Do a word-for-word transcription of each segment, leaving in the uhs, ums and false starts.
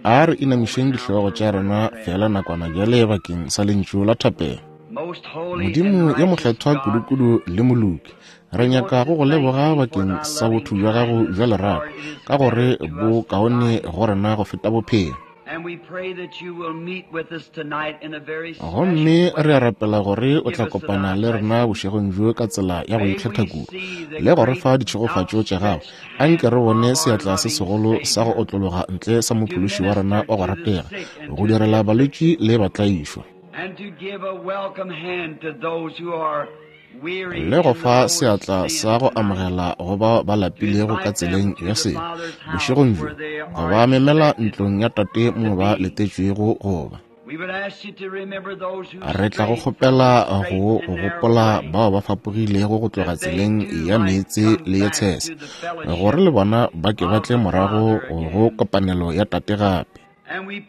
A re inamišeng dihlogo tša rena fela nakwana bjale bakeng sa lentšu la thapelo. Modimo yo mokgethwa kudukudu le moloki, re nyaka go go leboga bakeng sa botho bja gago bja lerato, ka gore bo kaone go rena go feta bophelo. Gomme re a rapela gore o tla kopana le rena bošegong bjo ka tsela ya go ikgetha kudu le go re fa ditšhegofatšo tša gago. Anke re bone seatla se segolo sa go otlologa ntle sa Mophološi wa rena wa go ratega, go direla balwetši le batlaišwa, le go fa seatla sa go amogela go bao ba lapilego ka tseleng ya sebe bošegong bjo, go ba memela ntlong ya Tate mo ba letetšwego go ba. Re tla go kgopela go gopola bao ba fapogilego go tloga tseleng ya meetse le ye tshese, gore le bona ba ke ba tle morago go kopanelo ya Tate gape. Gomme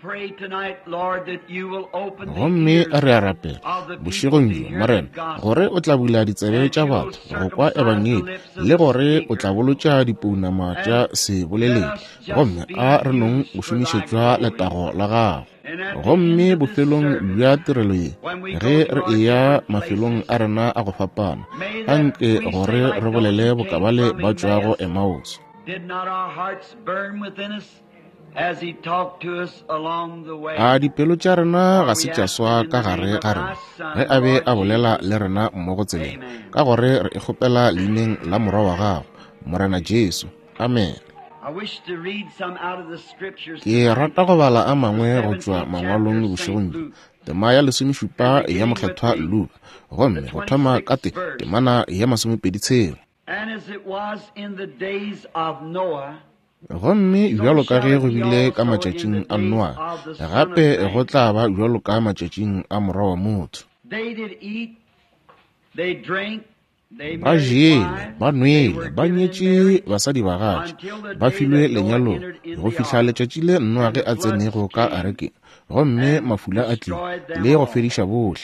re a rapela bošegong bjo, Morena, gore o tla bula ditsebe tša batho go kwa ebangedi, le gore o tla bolotša dipounama tša seboleledi, gomme a re nong go šomišetšwa letago la gago. Gomme bofelong bja tirelo ye, ge re eya mafelong a rena a go fapana, anke gore re bolele bokabale ba tšwago Emmaus. A dipelo tša rena ga se tša swa ka gare ga rena ge a be a bolela le rena mmogo tseleng, ka gore re e kgopela leineng la Morwa wa gago, Morena Jesu. Amen. Ke rata go bala a mangwe go tšwa mangwalong bošegong bjo, tema ya lesomešupa ya mokgethwa Luka, gomme go thoma ka te temana ya masomepedi tshela. Gomme bjalo ka ge go bile ka matšatšing a Noa, gape go tla ba bjalo ka matšatšing a Morwa wa motho. Ba jele, ba nwele, ba nyetše basadi bagatša, ba filwe lenyalong, go fihla letšatši le Noa ge a tsenego ka arekeng, gomme mafula a tlile le go fediša bohle.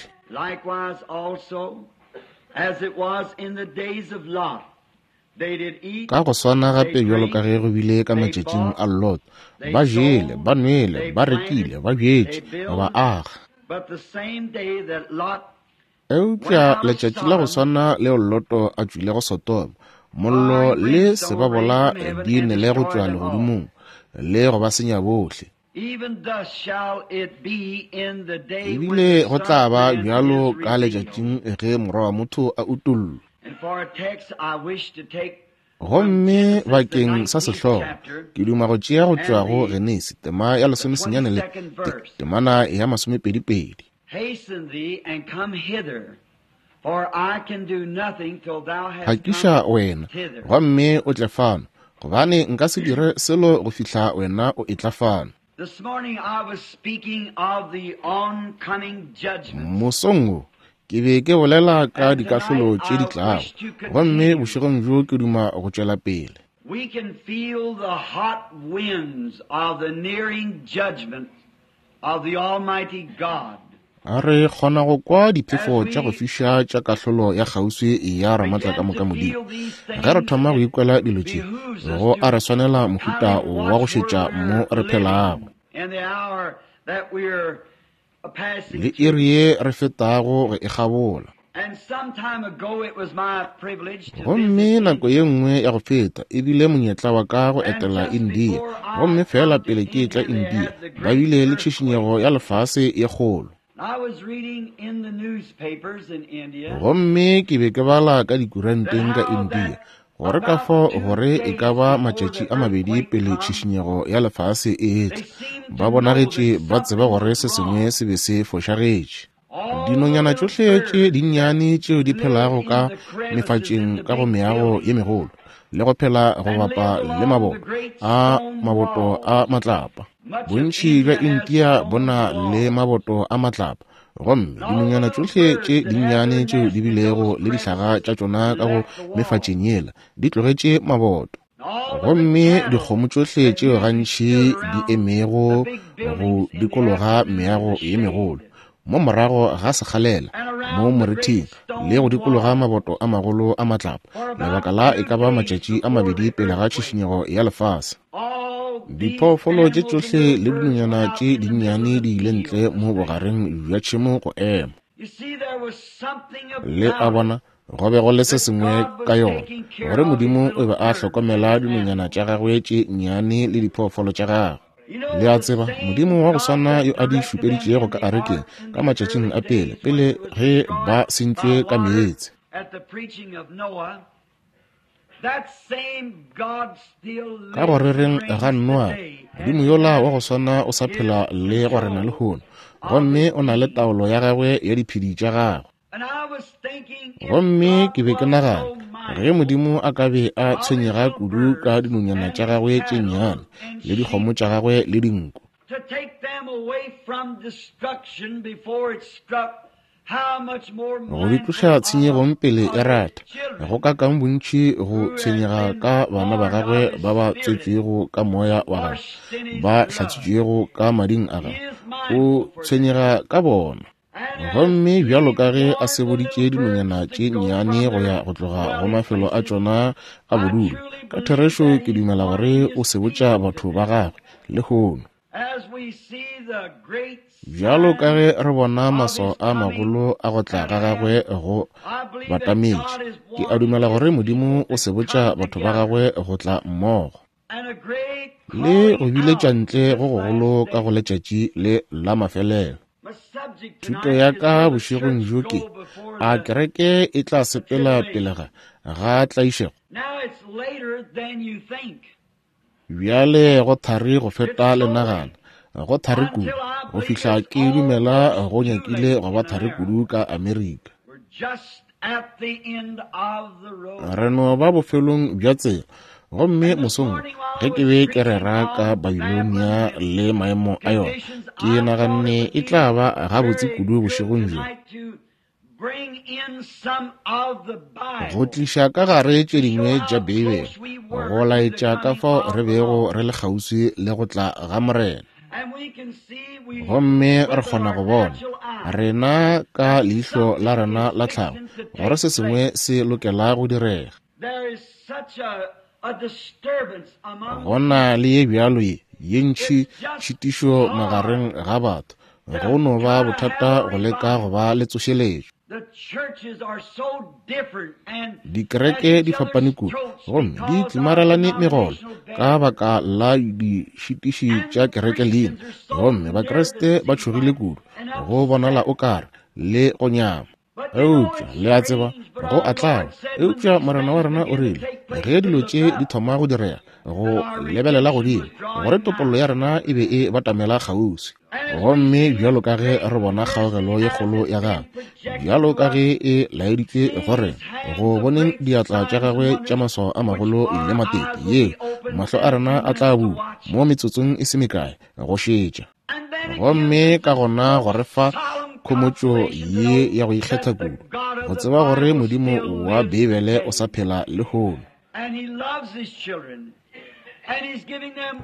Ka go swana gape bjalo ka ge go bile ka matšatšing a Lot, ba jele, ba nwele, ba rekile, ba bjetše, ba aga. Eupša letšatši la go swana leo Loto a tšwilego Sodoma, mollo le sebabola di nele go tšwa legodimong le go ba senya bohle. Ebile go tla ba bjalo ka letšatšing ge Morwa wa motho a utollwa. Gomme bakeng sa sehlogo ke duma go tšea go tšwa go Genesi tema ya lesomesenyane le temana ya masomepedipedi. Phakiša wena gomme o tle fano, gobane nka se dire selo go fihla wena o etla fano. Mosong wo ke be ke bolela ka dikahlolo tše di tlago, gomme bošegong bjo ke duma go tšwela pele. A re kgona go kwa diphefo tša go fiša tša kahlolo ya kgauswi ya Ramatlakamoka Modimo. Ge re thoma go ikwela dilo tše, go a re swanela mohuta wa go šetša mo re phelago le iri ye re fetago go e kgabola. Gomme nako ye nngwe ya go feta e bile monyetla wa ka go etela India, gomme fela pele ke etla India ba bile le tšhišinyego ya lefase ye kgolo. Gomme ke be ke bala ka dikuranteng ka India gore ka fao gore e ka ba matšatši a mabedi pele tšhišinyego ya lefase e etla, ba bonagetše ba tseba gore se sengwe se be se fošagetše. Dinonyana tšohle tše dinnyane tšeo di phelago ka mefatšeng ka go meago ye megolo le go phela go bapa le maboto a maboto a matlapa. Bontši bja India bo na le maboto a matlapa, gomme dinonyana tšohle tše dinnyane tšeo di bilego le dihlaga tša tšona ka go mefatšeng yela di tlogetše maboto. Gomme dikgomo tšohle tšeo gantši di emego go dikologa meago ye megolo mo morago ga sekgalela mo morithing le go dikologa maboto a magolo a matlapa lebaka la e ka ba matšatši a mabedi pele ga tšhišinyego ya lefase. Diphoofolo tše tšohle le dinonyana tše dinnyane di ile ntle mo bogareng bja tšhemo go ema. Le a bona, go be go le se sengwe ka yona, gore Modimo o be a hlokomela dinonyana tša gagwe tše nnyane le diphoofolo tša gagwe. Le a tseba, Modimo wa go swana yo a di šupeditšego ka arekeng ka matšatšing a pele, pele ge ba sentšwe ka meetse. Ka go rereng ga Noa, Modimo yola wa go swana o sa phela le go rena lehono, gomme o na le taolo ya gagwe ya diphedi tša gagwe. Gomme ke be ke nagana, ge Modimo a ka be a tshwenyega kudu ka dinonyana tša gagwe tše nnyane le dikgomo tša gagwe le dinku, go di tloša tshenyegong pele e rata, go ka kang bontši go tshwenyega ka bana ba gagwe ba ba tswetšwego ka moya wa gagwe, ba hlatswitšwego ka mading a gagwe, o tshwenyega ka bona. Gomme bjalo ka ge a seboditše dinonyana tše nnyane go ya go tloga go mafelo a tšona a bodulo, ka therešo ke dumela gore o sebotša batho ba gagwe lehono. Bjalo ka ge re bona maswao a magolo a go tla ga gagwe go batametše, ke a dumela gore Modimo o sebotša batho ba gagwe go tla mmogo le go biletša ntle go gogolo ka go letšatši le la mafelelo. Thuto ya ka bošegong bjo ke, a kereke e tla sepela pele ga ga tlaišego? Bjale go thari go feta le nagana, go thari kudu go fihla ke dumela go nyakile go ba thari kudu ka Amerika. Re no ba bofelong bja tsela. Gomme mosong ge ke be ke rera ka Babilonia le maemo a yona, ke naganne e tla ba gabotse kudu bošegong bjo go tliša ka gare tše dingwe tša Beibele, go laetša ka fao re bego re le kgauswi le go tla ga Morena. Gomme re kgona go bona rena ka leihlo la rena la tlhago gore se sengwe se lokela go direga. Go na le ye bjalo ye ye ntši tšhitišo magareng ga batho, go no ba bothata go leka go ba le tsošeletšo. Dikereke di fapane kudu gomme di tlimarelane megolo ka baka la dišitiši tša kereke leina, gomme Bakriste ba tšhogile kudu go bonala o kare le go nyama. Eupša le a tseba, go a tlaba. Eupša Morena wa rena o rile, ge dilo tše di thoma go direga, go lebelela godimo, gore topollo ya rena e be e batamela kgauswi. Gomme bjalo ka ge re bona kgaogelo ye kgolo ya gagwe, bjalo ka ge e laeditšwe gore go boneng diatla tša gagwe tša maswao a magolo le matete, yeo mahlo a rena a tla bula mo metsotsong e se mekae go šetša. Gomme ka gona go re fa khomotšo ye ya go ikgetha kudu, go tseba gore Modimo wa Beibele o sa phela lehono.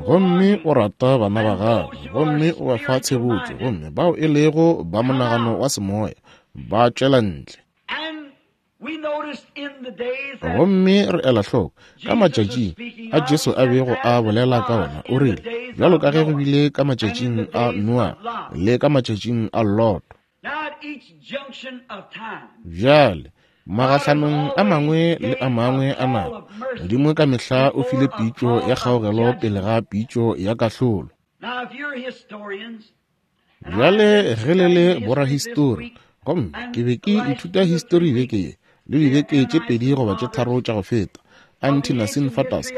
Gomme o rata bana ba gagwe, gomme o ba fa tshebotšo, gomme bao e lego ba monagano wa semoya ba tšwela ntle. Gomme re ela hloko ka matšatšing a Jesu a bego a bolela ka ona, o rile, bjalo ka ge go bile ka matšatšing a Noa le ka matšatšing a Loto. Bjale magahlanong a mangwe le a mangwe a nako, Modimo ka mehla o file pitšo ya kgaogelo pele ga pitšo ya kahlolo. Bjale ge le le borahistori, gomme ke be ke ithuta histori beke ye le dibeke tše pedi goba tše tharo tša go feta, Anti-Nicene Fathers,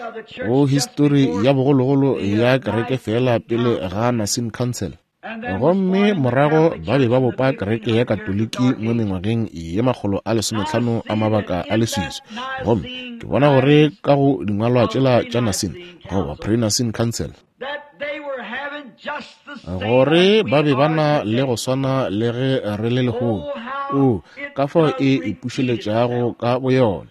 go histori ya bogologolo ya kereke fela pele ga Nicene Council. Gomme morago ba be ba bopa kereke ya Katoliki mo mengwageng ye makgolo a lesometlhano a mabaka a leswiswi. Gomme ke bona gore ka go dingwalwa tšela tša Nicene goba pre-Nicene Council, gore ba be ba na le go swana le ge re le lehono. O ka fao e ipušeletšago ka boyona.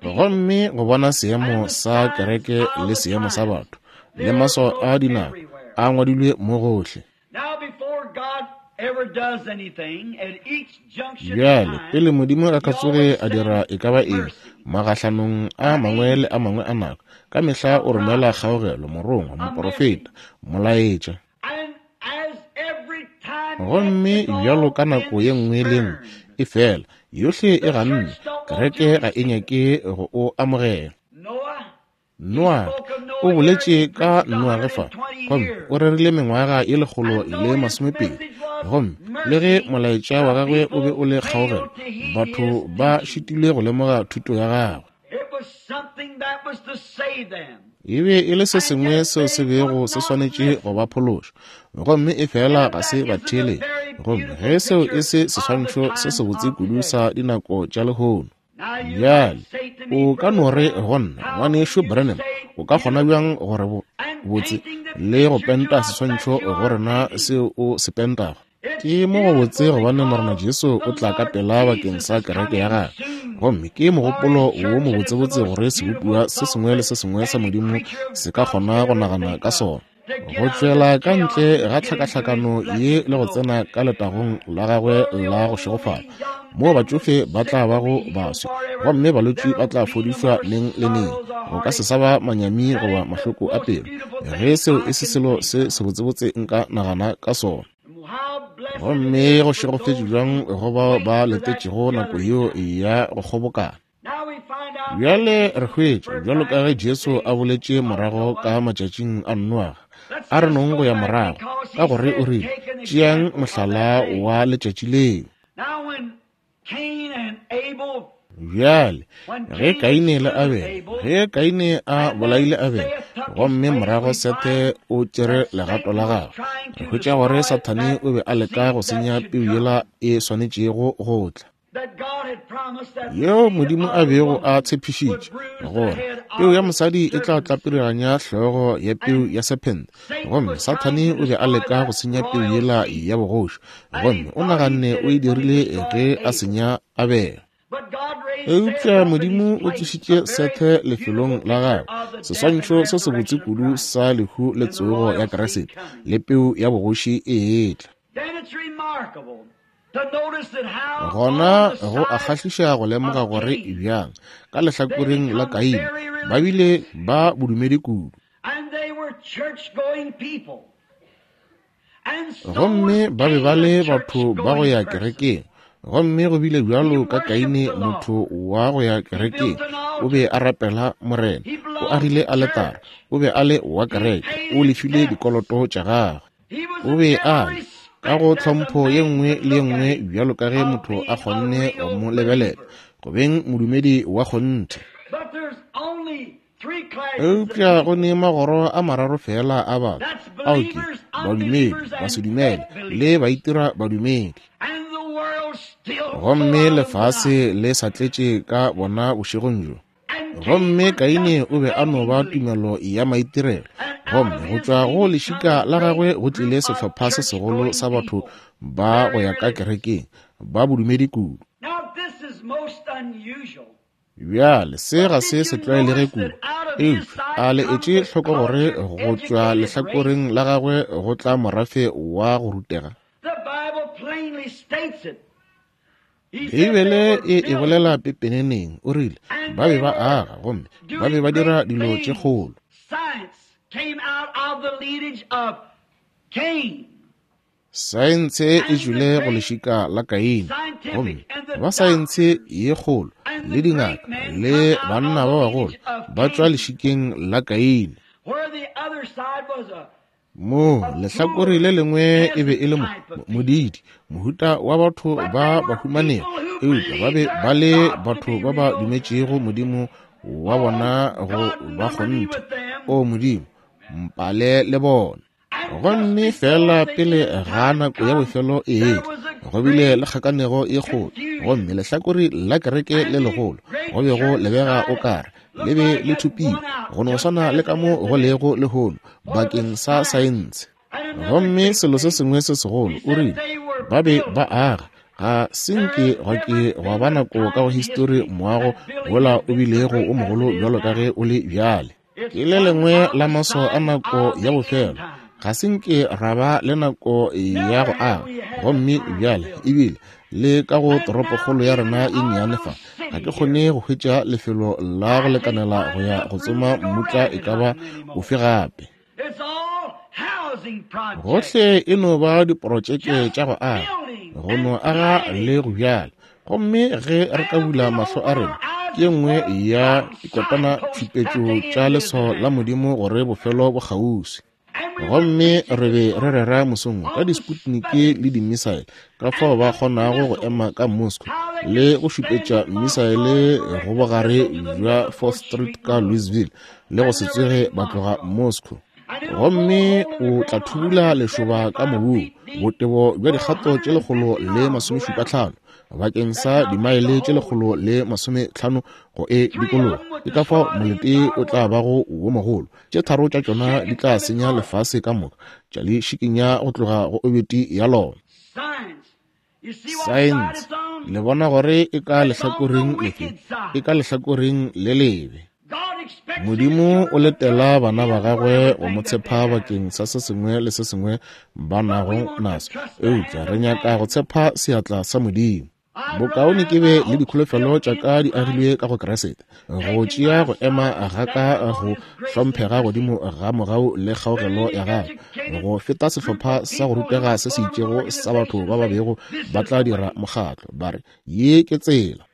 Gomme go bona seemo sa kereke le seemo sa batho le maswao a dinako a ngwadilwe mo gohle. Bjale, pele Modimo a ka tsoge a dira e ka ba eng, magahlanong a mangwe le a mangwe a nako, ka mehla o romela kgaogelo, morongwa, moprofeta, molaetša. Gomme bjalo ka nako ye nngwe le nngwe e fela, yohle e ganne, kereke ga e nyake go o amogela. Noa o boletše ka Noage fa, gomme o rerile mengwaga ye lekgolo le masomepedi, gomme le ge molaetša wa gagwe o be o le kgaogelo, batho ba šitilwe go lemoga thuto ya gagwe. E be e le se sengwe seo se bego se swanetše go ba phološa, gomme e fela ga se ba theeletše. Gomme ge seo e se seswantšho se sebotse kudu sa dinako tša lehono. Bjale, o ka no re go nna, ngwanešu Branham, o ka kgona bjang gore botse le go penta seswantšho go rena seo o se pentago? Ke mo go botse gobane Morena Jesu o tla ka pela bakeng sa kereke ya gagwe, gomme ke mogopolo wo mobotsebotse gore sebopiwa se sengwe le se sengwe sa Modimo se ka kgona go nagana ka sona, go tšwela ka ntle ga tlhakahlakano ye le go tsena ka letagong la gagwe la go šegofala, moo batšofe ba tla bago baswi gomme balwetši ba tla fodišwa neng le neng. Go ka se sa ba manyami goba mahloko a pelo, ge seo e se selo se sebotsebotse nka nagana ka sona. Gomme go šegofetše bjang go bao ba letetšego nako yeo ya go kgobokana. Bjale re hwetša, bjalo ka ge Jesu a boletše morago ka matšatšing a Noage, a re nong go ya morago, ka gore o rile, tšeang mohlala wa letšatši leo. Bjale, ge Kaine le Abele, ge Kaine a bolaile Abele, gomme morago Sethe o tšere legato la gagwe, re hwetša gore Sathane o be a leka go senya peu yela e swanetšego go tla, yeo Modimo a bego a tshepišitše gore peu ya mosadi e tla tlapiriganya hlogo ya peu ya sephente. Gomme Sathane o be a leka go senya peu yela ya bogoši, gomme o naganne o e dirile ge a senya Abele. Eupša Modimo o tsošitše Sethe lefelong la gagwe, seswantšho se sebotse kudu sa lehu le tsogo ya Kriste le peu ya bogoši e etla. Gona go a kgahliša go lemoga gore bjang ka lehlakoreng la Kaine ba bile ba bodumedi kudu, gomme ba be ba le batho ba go ya kerekeng. Gomme go bile bjalo ka Kaine, motho wa go ya kerekeng, o be a rapela Morena, o agile aletara, o be a le wa kereke, o lefile dikoloto tša gagwe, o be a le ka go tlhompho ye nngwe le ye nngwe bjalo ka ge motho a kgonne go mo lebelela, go beng modumedi wa kgonthe. Eupša go ne magoro a mararo fela a batho, ao ke badumedi, basedumele le baitira badumedi. Gomme lefase le sa tletše ka bona bošegong bjo. Gomme Kaine o be a no ba tumelo ya maitirelo, gomme go tšwa go lešika la gagwe go tlile sehlopha se segolo sa batho ba go ya ka kerekeng, ba bodumedi kudu. Bjale se ga se se tlwaelege kudu, eupša a le etše hloko gore go tšwa lehlakoreng la gagwe go tla morafe wa go rutega. Beibele e e bolela pepeneneng, o rile ba be ba aga gomme ba be ba dira dilo tše kgolo. Saense e tšwile go lešika la Kaine, gomme ba saense ye kgolo le dingaka le banna ba bagolo ba tšwa lešikeng la Kaine. Mo lehlakore le lengwe e be e le modidi, mohuta wa batho ba bahumanegi, eupša ba be ba le batho ba ba dumetšego Modimo wa bona go ba kgonthe. O Modimo, mpale le bona. Gomme fela pele ga nako ya bofelo e etla, go bile le kgakanego ye kgolo, gomme lehlakore la kereke le legolo go be go lebega o kare le be le thopile, go no swana le ka mo go lego lehono bakeng sa saense. Gomme selo se sengwe se segolo, o rile ba be ba aga, ga se nke gwa ke gwa ba nako ka go histori moago wola o bilego o mogolo bjalo ka ge o le bjale. Ke le lengwe la maswao a nako ya bofelo, Ga se nke ra ba le nako ya go aga, gomme bjale ebile le ka go toropokgolo ya rena e nnyane fa, ga ke kgone go hwetša lefelo la go lekanela go ya go tsoma mmutla e ka ba ofe gape. Gohle e no ba diprotšeke tša go aga, go no aga le go bjala. Gomme ge re ka bula mahlo a rena, ke ye nngwe ya dikotana tšhupetšo tša leswao la Modimo gore bofelo bo kgauswi. Gomme re be re rera mosong ka di-Sputnik le di-missile, ka fao ba kgonago go ema ka Moscow le go šupetša missile go bogare bja fourth Street ka Louisville le go se tsoge ba tloga Moscow. Gomme o tla thubula lešoba ka mobung botebo bja dikgato tše lekgolo le masomešupa tlhano bakeng sa dimaele tše lekgolo le masometlhano go e dikologa. Ke ka fao molete o tla bago wo mogolo. Tše tharo tša tšona di tla senya lefase ka moka, tša le šikinya go tloga go obiti ya lona. Saense, le bona gore e ka lehlakoreng lefe? E ka lehlakoreng le lebe. Modimo o letela bana ba gagwe go mo tshepa bakeng sa se sengwe le se sengwe ba nago naso, eupša re nyaka go tshepa seatla sa Modimo. Bokaone ke be le dikholofelo tša ka di agilwe ka go Kriste, go tšea go ema ga ka go hlomphega godimo ga mogau le kgaogelo ya gagwe, go feta sehlopha sa go rutega se se itšego sa batho ba ba bego ba tla dira mokgatlo ba re ye ke tsela.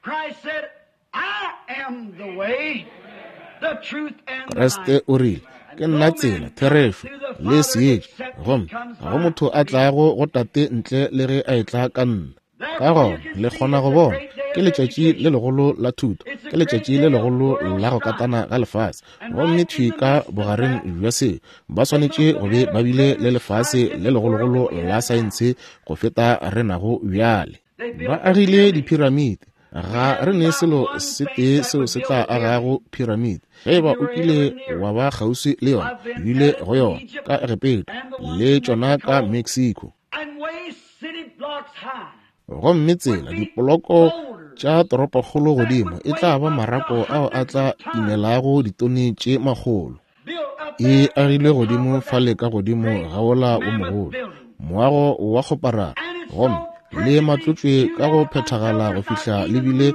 Kriste o rile, ke nna tsela, therešo le seetša, gomme ga go motho a tlago go Tate ntle le ge a etla ka nna. Ka gona le kgona go bona, ke letšatši le legolo la thuto, ke letšatši le legolo la go katana ga lefase. Gomme thwi ka bogareng bja se, ba swanetše go be ba bile le lefase le legologolo la saense go feta re nago bjale. Ba agile diphiramiti. Ga re ne selo se tee seo se tla agago phiramiti. Ge eba o kile wa ba kgauswi le yona, ebile go yona ka Egepeta le tšona ka Mexico. Gomme tsela dipoloko tša toropokgolo godimo e tla ba marako ao a tla imelago ditone tše makgolo. E agilwe godimo fale ka godimo ga wola wo mogolo, moago wa kgoparara, gomme le matlotšwe ka go phethagala go fihla lebile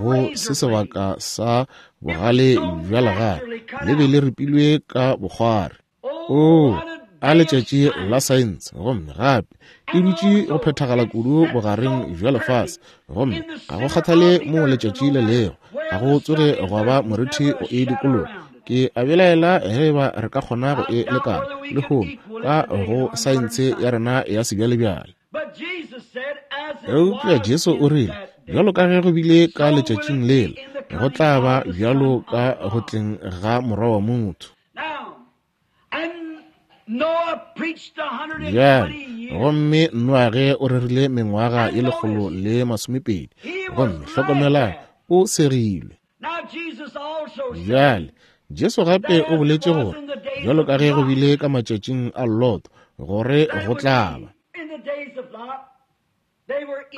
go se sebaka sa bogale bja legare, le be le ripilwe ka bokgwari. Oo, a letšatši la saense! Gomme gape e dutše go phethagala kudu bogareng bja lefase, gomme ga go kgathale mo letšatši le lego, ga go tsoge gwa ba morithi go e dikologa. Ke a belaela ge eba re ka kgona go e lekana lehono ka go saense ya rena ya sebjalebjale. Eupša Jesu o rile, bjalo ka ge go bile ka letšatšing lela, go tla ba bjalo ka go tleng ga Morwa wa motho. Bjale, gomme Noage o rerile mengwaga ye lekgolo le masomepedi, gomme hlokomelang, o segilwe. Bjale, Jesu gape o boletše gore, bjalo ka ge go bile ka matšatšing a Lot, gore go tla ba.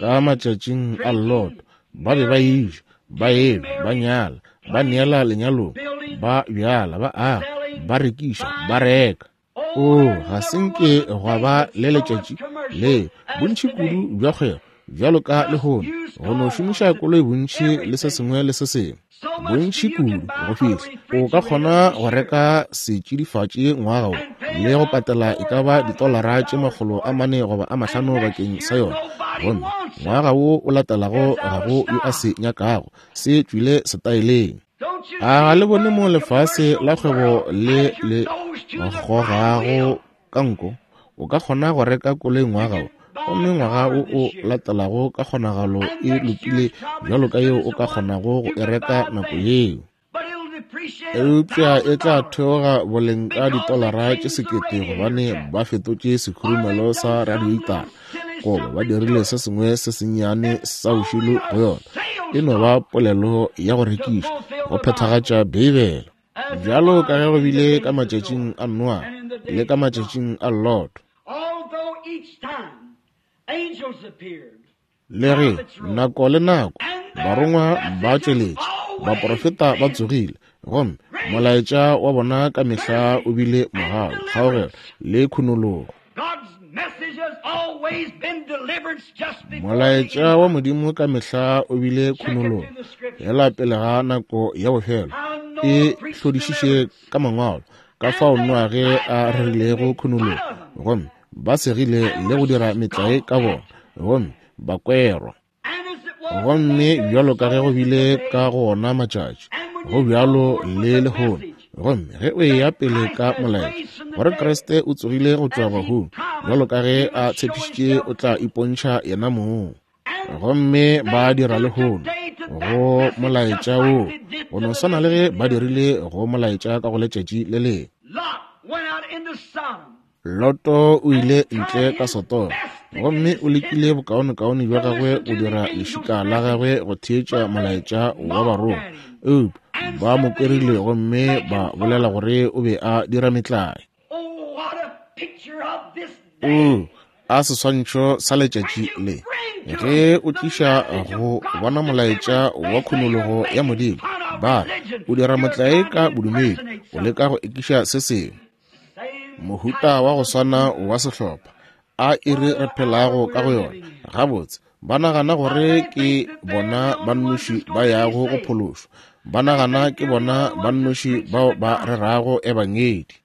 Ka matšatšing a Lot, ba be ba eja, ba enwa, ba nyala, ba neela lenyalong, ba bjala, ba aga, ba rekiša, ba reka. Oo, ga se nke gwa ba le letšatši le bontši kudu bja kgwebo bjalo ka lehono, go no šomiša koloi bontši le se sengwe le se sengwe, bontši kudu go fihla o ka kgona go reka setšidifatši ngwaga wo le go patela e ka ba ditolara tše makgolo a mane goba a mahlano bakeng sa yona, gomme ngwaga wo o latelago ga go yo a se nyakago, se tšwile setaeleng. A ga le bone mo lefase la kgwebo le le gogago ka nko? O ka kgona go reka koloi ngwaga wo, gomme ngwaga wo o latelago ka kgonagalo e lokile bjalo ka yeo o ka kgonago go e reka nako yeo. Eupša e tla theoga boleng ka ditolara tše sekete gobane ba fetotše sekhurumelo sa radiatara goba ba dirile se sengwe se sennyane sa bošilo go yona. E no ba polelo ya go rekiša, go phethagatša Beibele. Bjalo ka ge go bile ka matšatšing a Noa le ka matšatšing a Lot. Le ge nako le nako barongwa ba tšweletše, baprofeta ba tsogile, gomme Molaetša wa bona ka mehla o bile mogau, kgaogelo le khunologo. Molaetša wa Modimo ka mehla o bile khunologo fela pele ga nako ya bofelo. E hlodišiše ka mangwalo ka fao Noage a rerilego khunologo, gomme ba segile le go dira metlae ka bona, gomme ba kwerwa. Gomme bjalo ka ge go bile ka go ona matšatši, go bjalo le lehono. Gomme ge o eya pele ka molaetša gore Kriste o tsogile go tšwa bahung, bjalo ka ge a tshepišitše o tla ipontšha yena mong. Gomme ba dira lehono go molaetša wo go no swana le ge ba dirile go molaetša ka go letšatši le lengwe. Loto o ile ntle ka Sodoma, gomme o lekile bokaonekaone bja gagwe go dira lešika la gagwe go theetša molaetša wa barongwa, eupša ba mo kwerile gomme ba bolela gore o be a dira metlae. O a seswantšho sa letšatši le, ge o tliša go bona molaetša wa khunologo ya Modimo, ba re o dira motlae ka bodumedi, o leka go ekiša se sengwe. Mohuta wa go swana wa sehlopha a iri re phelago ka go yona. Gabotse ba nagana gore ke bona ba nnoši ba yago go phološwa, ba nagana ke bona ba nnoši bao ba rerago ebangedi.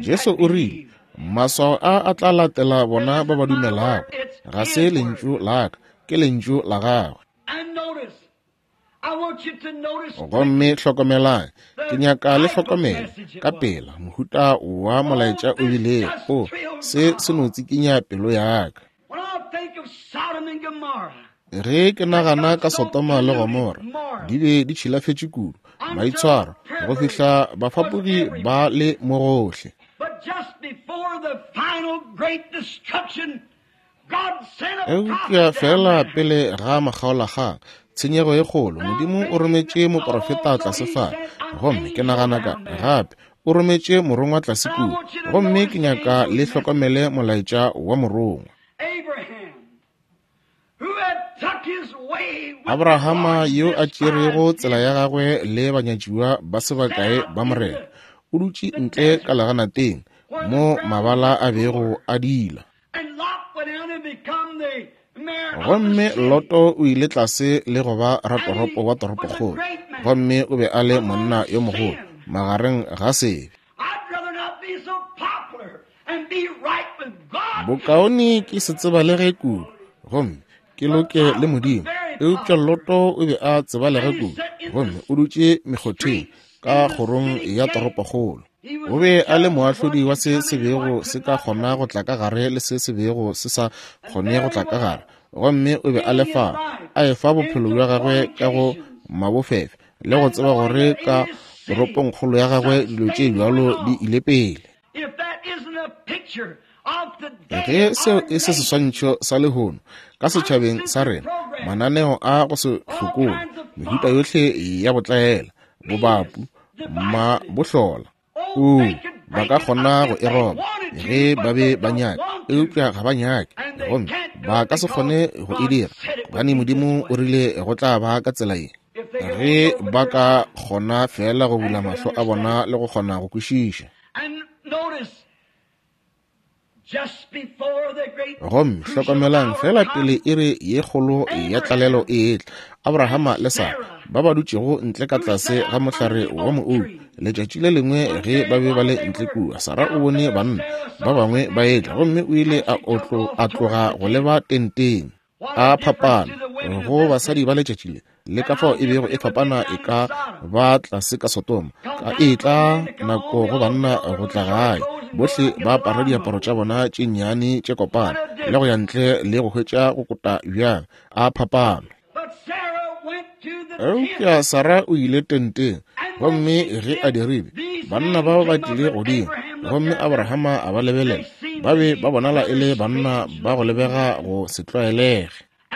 Jesu o rile, maswao a a tla latela bona ba ba dumelago. Ga se lentšu la ka, ke lentšu la gagwe. Gomme hlokomelang, ke nyaka le hlokomele ka pela mohuta wa molaetša o bilego. O se se no tsikinya pelo ya ka. Ge ke nagana ka Sodoma le Gomora, di be di tšhilafetše kudu, maitshwaro, go fihla bafapogi ba le mo gohle. Eupša fela pele ga makgaolakgang, tshenyego e kgolo, Modimo o rometše moprofeta tlase fale. Gomme ke nagana ka gape o rometše morongwa tlase kua. Gomme ke nyaka le hlokomele molaetša wa morongwa. Abrahama yo a tšerego tsela ya gagwe le banyatšiwa ba se bakae ba Morena, o dutše ntle ka leganateng mo mabala a bego a dila. Gomme Loto o ile tlase le go ba ratoropo wa toropokgolo, gomme o be a le monna yo mogolo magareng ga sebe. Bokaone ke se tsebalege kudu, gomme ke loke le Modimo. Eupša Loto o be a tsebalege kudu, gomme o dutše mekgotheng ka kgorong ya toropokgolo. O be a le moahlodi wa se se bego se ka kgona go tla ka gare le se se bego se sa kgone go tla ka gare. Gomme o be a le fa, a efa bophelo bja gagwe ka go mabofefe, le go tseba gore ka toropongkgolo ya gagwe dilo tše bjalo di ile pele. Ge seo e se seswantšho sa lehono ka setšhabeng sa rena, mananeo a go se hlokole, mehuta yohle ya botlaela, bobapu, mabohlola, o ba ka kgona go e roba ge ba be ba nyaka, eupša ga ba nyake, gomme ba ka se kgone go e dira, gobane Modimo o rile go tla ba ka tsela ye. Ge ba ka kgona fela go bula mahlo a bona le go kgona go kwešiša. Gomme hlokomelang fela pele iri ye kgolo ya tlalelo e etla, Abrahama le Sara ba ba dutšego ntle ka tlase ga mohlare wa moou. Letšatši le lengwe ge ba be ba le ntle kua, Sara o bone banna ba bangwe ba etla, gomme o ile a otlo a tloga go leba tenteng. A phapana go basadi ba letšatši le, le ka fao e bego e fapana e ka ba tlase ka Sodoma, ka e tla nako go banna go tla gae, bohle ba apara diaparo tša bona tše nnyane tše kopana le go ya ntle le go hwetša go kota bjang. A phapano. Eupša Sara o ile tenteng, gomme ge a dirile, banna ba ba tlile godimo, gomme Abrahama a ba lebelela. Ba be ba bonala e le banna ba go lebega go se tlwaelege.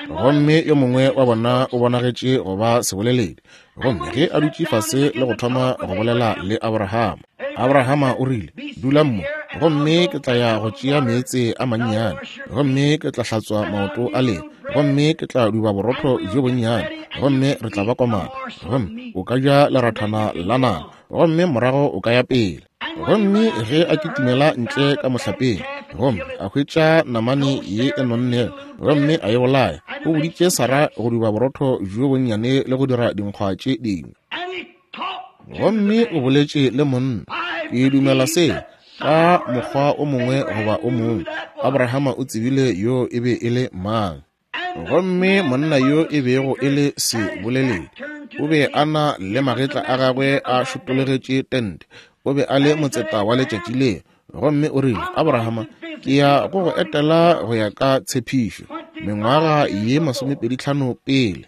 Gomme yo mongwe wa bona o bonagetše go ba seboleledi, gomme ge a dutše fase le go thoma go bolela le Abrahama, Abrahama o rile, dula mo, gomme ke tla ya go tšea meetse a mannyane, gomme ke tla hlatswa maoto a lena, gomme ke tla duba borotho bjo bonnyane, gomme re tla ba komana, gomme o ka ja lerathana la nama, gomme morago o ka ya pele. Gomme ge a kitimela ntle ka mohlapeng, gomme a hwetša namane ye e nonnego, gomme a e bolaya, o boditše Sara go duba borotho bjo bonnyane le go dira dinkgwa tše dingwe. Gomme o boletše le monna. Ke dumela se ka mokgwa o mongwe goba o mongwe. Abrahama o tsebile yo e be e le mang. Gomme monna yo e bego e le seboleledi, o be a na le magetla a gagwe a šotologetše tente. O be a le motseta wa letšatši leo. Gomme o rile, Abrahama, ke ya go go etela go ya ka tshepišo, mengwaga ye masomepedi tlhano pele.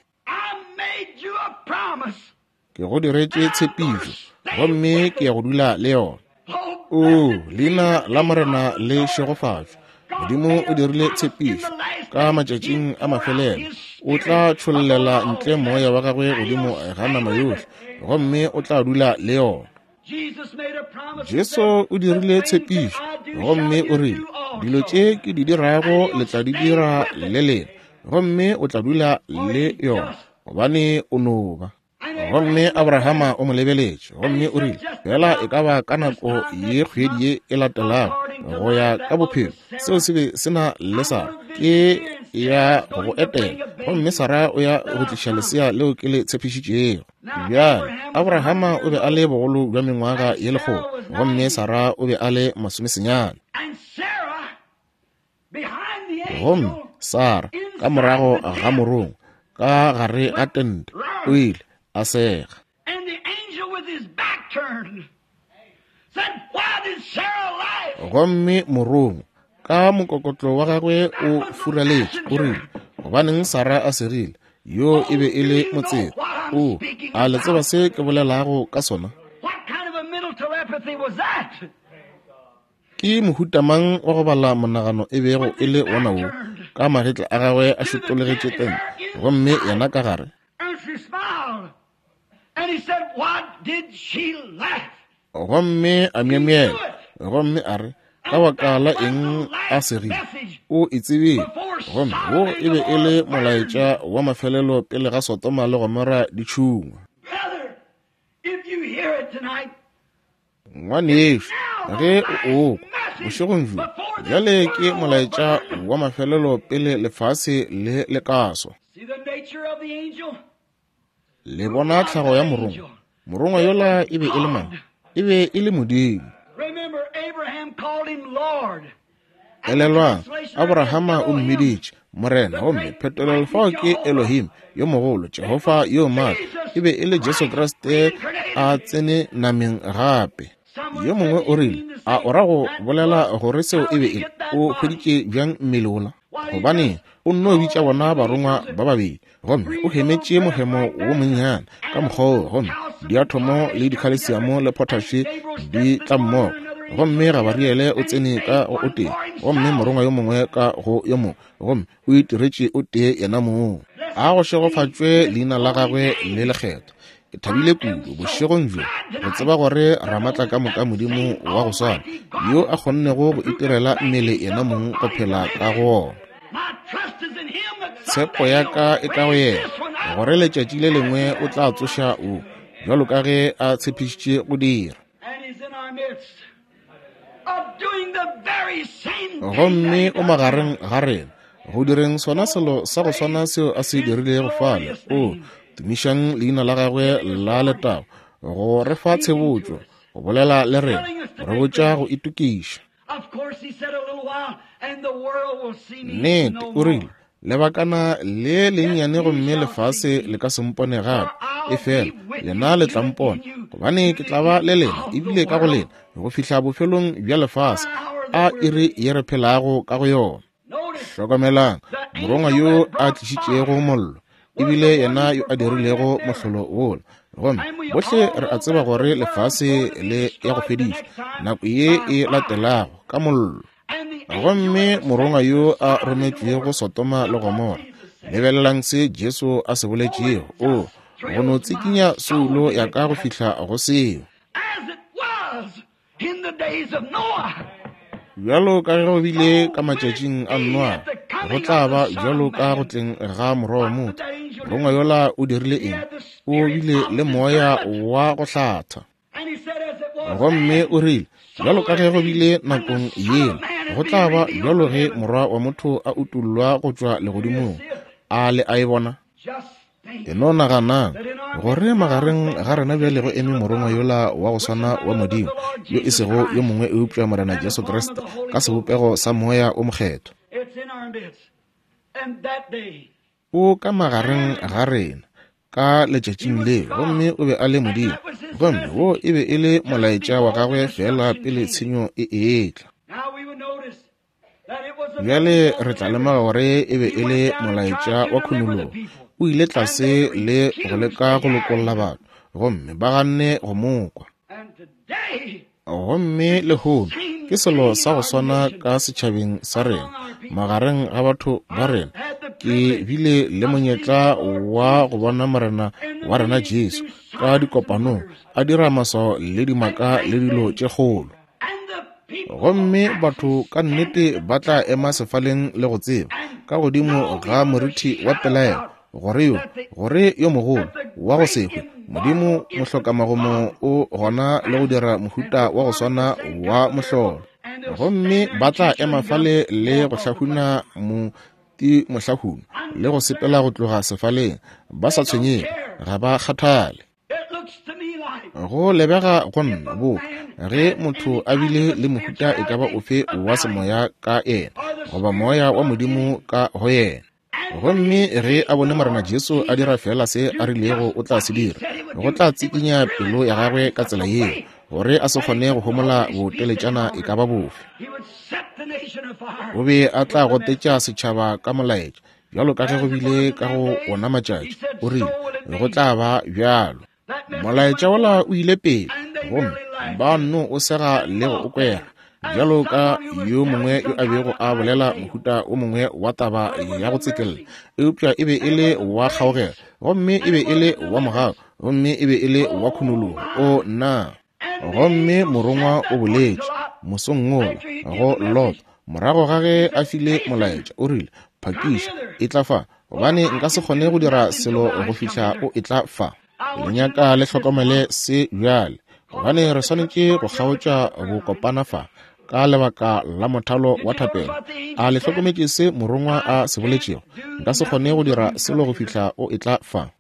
Ke go diretše tshepišo, gomme ke ya go dula le yona. O, leina la Morena le šegofatšwe. Modimo o dirile tshepišo ka matšatšing a mafelelo. O tla tšhollela ntle moya wa gagwe godimo ga nama yohle, gomme o tla dula le yona. Jesu o dirile tshepišo, gomme o rile, dilo tše ke di dirago le tla di dira le lena, gomme o tla dula le yona, gobane o no ba. Gomme Abrahama o mo lebeletše, gomme o rile, fela e ka ba ka nako ye kgwedi ye e latelago go ya ka bophelo, seo se be se na le Sara, ke ya go etela, gomme Sara o ya go tliša lesea leo ke le tshepišitšego. Bjale Abrahama o be a le bogolo bja mengwaga ye lekgolo, gomme Sara o be a le masomesenyane. Gomme Sara ka morago ga morongwa ka gare ga tente o ile a sega. Gomme morongwa ka mokokotlo wa gagwe o furaletše, o rile, gobaneng Sara a segile? Yo e be e le motseta. O, a le tseba se ke bolelago ka sona? Ke mohuta mang wa go bala monagano e bego e le wona wo, ka magetla a gagwe a šotologetše tente, gomme yena ka gare? Gomme a myemyela, gomme a re, ka baka la eng a segile? O e tsebile. Gomme wo e be e le molaetša wa mafelelo pele ga Sodoma le Gomora di tšhungwa. Ngwanešu, ge o okwa bošegong bjo, bjale ke molaetša wa mafelelo pele lefase le le ka swa. Le bona tlhago ya morongwa. Morongwa yola e be e le mang? E be e le Modimo. Elelwang, Abrahama o mmiditše Morena, gomme phetolelo fao ke Elohim yo mogolo, Jehofa yo maatla. E be e le Jesu Kriste a tsene nameng gape. Yo mongwe o rile, a o ra go bolela gore seo e be e le? O hweditše bjang mmele wola? Gobane o nno bitša bona barongwa ba babedi, gomme o hemetše mohemo wo monnyane ka mokgwa wo, gomme diathomo le dikhalesiamo le potaše di tla mmogo, gomme Gabariele o tsene ka go o tee, gomme morongwa yo mongwe ka go yo mongwe, gomme o itiretše o tee yena mong. A go šegofatšwe leina la gagwe le lekgethwa. Ke thabile kudu bošegong bjo go tseba gore Ramatla ka moka Modimo wa go swana yo a kgonnego go itirela mmele yena mong go phela ka go ona. Tshepo ya ka e ka go yena, gore letšatši le lengwe o tla tsoša o, bjalo ka ge a tshepišitše go dira. Gomme o magareng ga rena go direng sona selo sa go swana seo a se dirilego fale. O tumišang leina la gagwe la letago, go re fa tshebotšo, go bolela le rena, re botša go itokiša. Nnete, o rile, lebakana le lennyane gomme lefase le ka se mpone gape, efela lena le tla mpona, gobane ke tla ba le lena ebile ka go lena go fihla bofelong bja lefase. A iri ye re phelago ka go yona. Hlokomelang, morongwa yo a tlišitšego mollo ebile yena yo a dirilego mohlolo wola. Gomme bohle re a tseba gore lefase le ya go fedišwa nako ye e latelago ka mollo. Gomme morongwa yo a rometšwego Sodoma le Gomora, lebelelang se Jesu a se boletšego. O go no tsikinya soulo ya ka go fihla go seo. Bjalo ka ge go bile ka matšatšing a Noa, Go tla ba bjalo ka go tleng ga Morwa wa motho. Morongwa yola o dirile eng? O bile le moya wa go hlatha. Gomme o rile, bjalo ka ge go bile nakong yela, go tla ba bjalo ge Morwa wa motho a utollwa go tšwa legodimong. A le a e bona? E no naganang gore magareng ga rena bjale go eme morongwa yola wa go swana wa Modimo, yo e sego yo mongwe eupša Morena Jesu Kriste ka sebopego sa Moya o Mokgethwa. O ka magareng ga rena ka letšatšing leo, gomme o be a le Modimo, gomme wo e be e le molaetša wa gagwe fela pele tshenyo e etla. Bjale re tla lemoga gore e be e le molaetša wa khunologo. O ile tlase le go leka go lokolla batho, gomme ba ganne go mo kwa. Gomme lehono ke selo sa go swana ka setšhabeng sa rena, magareng ga batho ba rena. Ke bile le monyetla wa go bona Morena wa rena Jesu ka dikopanong a dira maswao le dimaka le dilo tše kgolo. Gomme batho ka nnete ba tla ema sefaleng le go tseba ka godimo ga moriti wa pelaelo gore yo, gore yo mogolo wa go se hwe Modimo mohlokamagomo o gona le go dira mohuta wa go swana wa mohlolo. Gomme ba tla ema fale le go hlahuna moti mohlahuna le go sepela go tloga sefaleng ba sa tshwenyege, ga ba kgathale. Go lebega go nna boka ge motho a bile le mohuta e ka ba ofe wa semoya ka yena, goba moya wa Modimo ka go yena, gomme ge a bone Morena Jesu a dira fela se a rilego o tla se dira, go tla tsikinya pelo ya gagwe ka tsela yeo gore a se kgone go homola boteletšana e ka ba bofe. O be a tla gotetša setšhaba ka molaetša, bjalo ka ge go bile ka go ona matšatši. O rile go tla ba bjalo. Molaetša wola o ile pele, gomme ba nno o sega le go o kwera, bjalo ka yo mongwe yo a bego a bolela mohuta o mongwe wa taba ya go tsekella, eupša e be e le wa kgaogelo, gomme e be e le wa mogau, gomme e be e le wa khunologo. O nna! Gomme morongwa o boletše mosong wola go Lot morago ga ge a file molaetša, o rile, phakiša, e tla fa, gobane nka se kgone go dira selo go fihla o e tla fa. Le nyaka le hlokomele se bjale, gobane re swanetše go kgaotša bokopana fa ka lebaka la mothalo wa thapelo. A le hlokometše se morongwa a se boletšego? Nka se kgone go dira selo go fihla o e tla fa.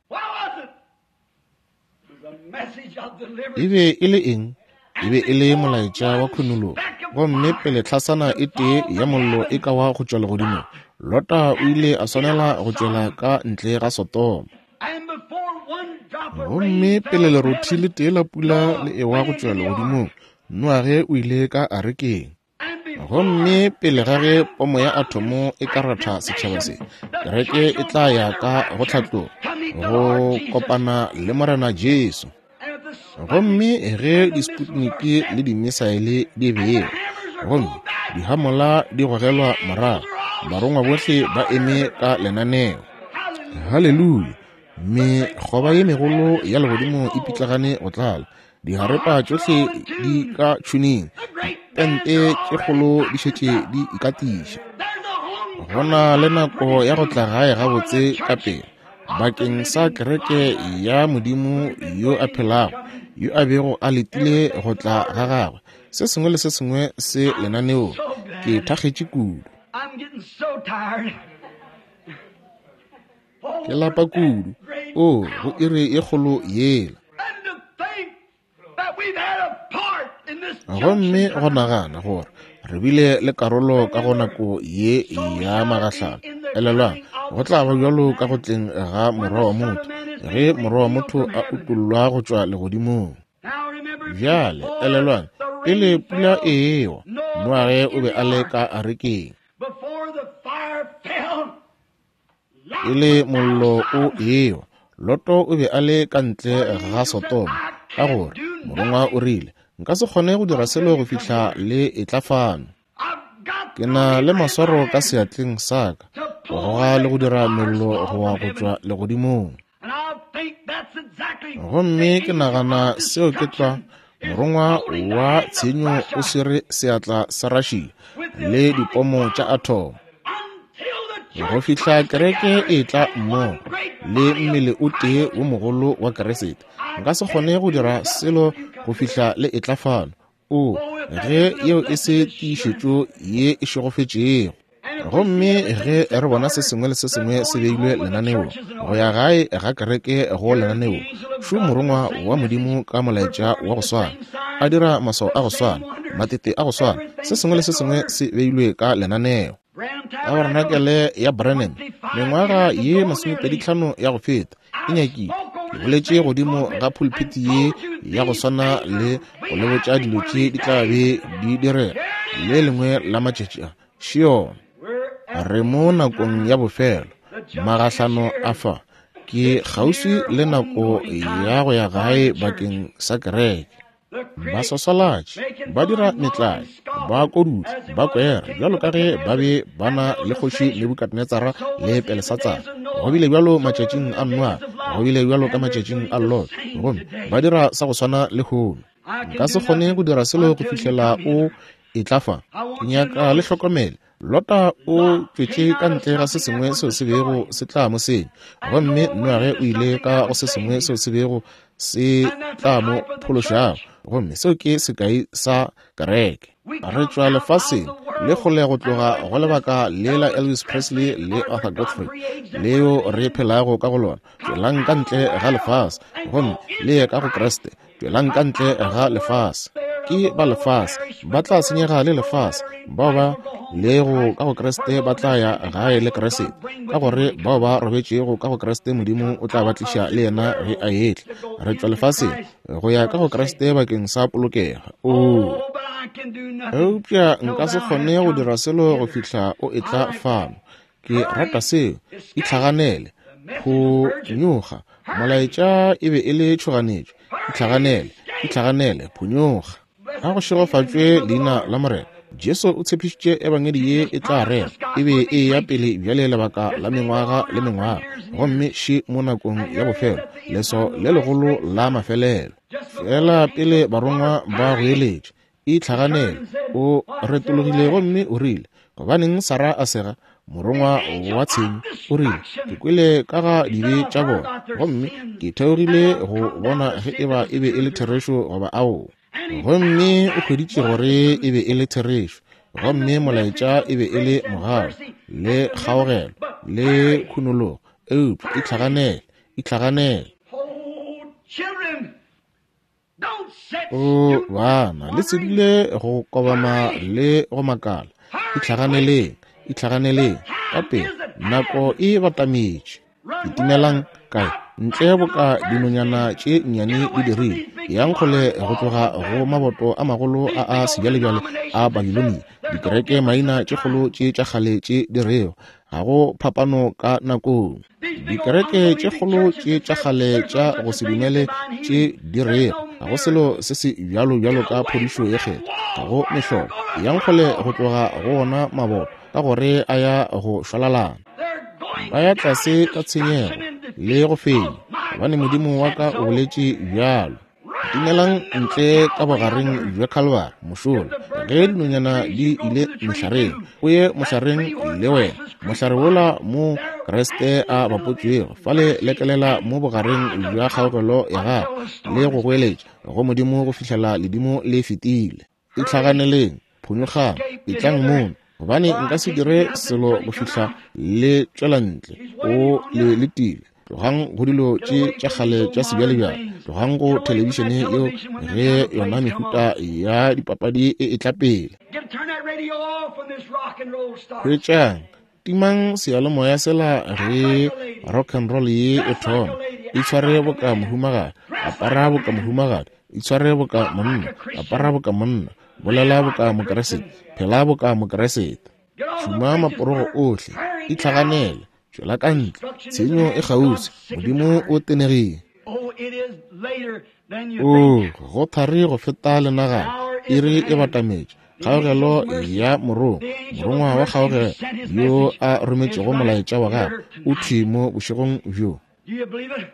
E be e le eng? E be e le molaetša wa khunologo. Gomme pele tlhasana e tee ya mollo e ka wa go tšwa legodimong, Lota o ile a swanela go tšwela ka ntle ga Sodoma. Gomme pele lerothi le tee la pula le ewa go tšwa legodimong, Noage o ile ka arekeng. Gomme pele ga ge pomo ya athomo e ka ratha setšhaba se, kereke e tla ya ka go tlhatloga go kopana le Morena Jesu. Gomme ge disputniki le dimisaele di bewa, gomme dihamola di gogelwa morago, barongwa bohle ba eme ka lenaneo. Haleluya! Mekgoba ye megolo ya legodimo e pitlagane go tlala, diharepa tšohle di ka tšhuneng, dipente tše kgolo di šetše di ikatiša. Go na le nako ya go tla gae gabotse ka pele bakeng sa kereke ya Modimo yo a phelago, yo a bego a letile go tla ga gagwe. Se sengwe le se sengwe se lenaneong. Ke thakgetše kudu, ke lapa kudu. O go iri e kgolo yela. Gomme go nagana gore re bile le karolo ka go nako ye ya magahlano. Elelwang, go tla ba bjalo ka go tleng ga Morwa wa motho, ge Morwa wa motho a utollwa go tšwa legodimong. Bjale elelwang, pele pula e ewa, Noage o be a le ka arekeng. Pele mollo o ewa, Loto o be a le ka ntle ga Sodoma, ka gore morongwa o rile, nka se kgone go dira selo go fihla le etla fano. Ke na le maswaro ka seatleng sa ka go goga le go dira mello go wa go tšwa legodimong. Gomme ke nagana seo ke tlwa morongwa wa tshenyo o swere seatla sa Russia le dipomo tša athomo. Go fihla kereke e tla mmogo le mmele o tee wo mogolo wa Kriste. Nka se kgone go dira selo go fihla le etla fano. O, ge yeo e se tiišetšo ye e šegofetšego. Gomme ge re bona se sengwe le se sengwe se beilwe lenaneong, go ya gae ga kereke go lenaneo, šo morongwa wa Modimo ka molaetša wa go swana, a dira maswao a go swana, matete a go swana, se sengwe le se sengwe se beilwe ka lenaneo. Tabarenakele ya Branham, mengwaga ye masomepedi tlhano ya go feta, e nyakile ke boletše godimo ga pulpiti ye ya go swana le go le botša dilo tše di tla be di direga le lengwe la matšatši a. Šiona, re mo nakong ya bofelo, magahlano a fa ke kgauswi le nako ya go ya gae bakeng sa kereke. Ba swaswalatše, ba dira metlae, ba kodutla, ba kwera, bjalo ka ge ba be ba na le kgoši Nebukadnetsara le Belesatsara. Go bile bjalo matšatšing a Noa, go bile bjalo ka matšatšing a Lot, gomme ba dira sa go swana le lehono. Nka se kgone go dira selo go fihlela o etla fa. Ke nyaka le hlokomele. Lota o tšwetše ka ntle ga se sengwe seo se bego se tla mo senya, gomme Noage o ile ka go se sengwe seo se bego se tla mo phološago, gomme seo ke sekai sa kereke. Re tšwa lefaseng le kgole go tloga go lebaka le la Elvis Presley le Arthur Godfrey leo re phelago ka go lona. Tšwelang ka ntle ga lefase gomme le ye ka go Kriste. Tšwelang ka ntle ga lefase. Ke ba lefase, ba tla senyega le lefase. Bao ba lego ka go Kriste ba tla ya gae le Kriste, ka gore bao ba robetšego ka go Kriste Modimo o tla ba tliša le yena ge a etla. Re tšwa lefaseng go ya ka go Kriste bakeng sa polokego. Oo, eupša nka se kgone go dira selo go fihla o etla fano. Ke rata seo. Itlhaganele, phonyoga. Molaetša e be e le tšhoganetšo. Itlhaganele, itlhaganele, phonyoga. A go šegofatšwe leina la Morena. Jesu o tshepišitše ebangedi ye e tla rera, e be e ya pele bjale lebaka la mengwaga le mengwaga, gomme še mo nakong ya bofelo, leso le legolo la mafelelo. Fela pele barongwa ba goeletše, itlhaganele, o retologile gomme o rile, gobaneng Sara a sega? Morongwa wa tshenyo o rile, ke kwele ka ga dibe tša bona, gomme ke theogile go bona ge eba e be e le therešo goba aowa. Gomme o hweditše gore e be e le therešo, gomme molaetša e be e le mogau le kgaogelo le khunologo. Eupša itlhaganele, itlhaganele. O bana, le se dule go kobama le go makala. Itlhaganeleng, itlhaganeleng ka pele, nako e batametše. Kitimelang kae? Ntle boka dinonyana tše nnyane di dirile. Yang kgole go tloga go maboto a magolo a a sebjalebjale a Babilonia, dikereke maina tše kgolo tše tša kgale tše di rego ga go phapano ka nakong. Dikereke tše kgolo tše tša kgale tša go se dumele tše di rego ga go selo se se bjalo bjalo ka phodišo ye kgethwa, ga go mehlolo. Yang kgole go tloga go ona maboto, ka gore a ya go šwalalana. Ba ya tlase ka tshenyego le go fenya, gobane Modimo wa ka o boletše bjalo. Timelang ntle ka bogareng bja Calvary mošola, ge dinonyana di ile mehlareng, o ye mohlareng le wena, mohlare wola mo Kriste a bapotšwego, fale lekelela mo bogareng bja kgaogelo ya gago le go goeletša go Modimo go fihlela ledimo le fetile. Itlhaganeleng, phonyogang, etlang mono, gobane nka se dire selo go fihla le tšwela ntle. O le letile. Tlogang go dilo tše tša kgale tša sebjalebjale, tlogang go thelebišene yeo ge yona mehuta ya dipapadi e etla pele. Hwetšang, timang seyalemoya sela ge rock and roll ye e thoma. Itshware boka mohumagadi, apara boka mohumagadi, itshware boka monna, apara boka monna, bolela boka Mokeresete, phela boka Mokeresete. Šoma maporogo ohle, itlhaganele, tšwela ka ntle, tshenyo e kgauswi, Modimo o tenegile. O go thari go feta lenagana, iri e batametše. Kgaogelo ya morongwa, morongwa wa kgaogelo yo a rometšego molaetša wa gagwe o thwi mo bošegong bjo.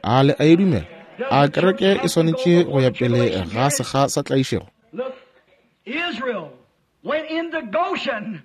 A le a e dumela? A kereke e swanetše go ya pele ga sekga sa tlaišego? Israel went into Goshen.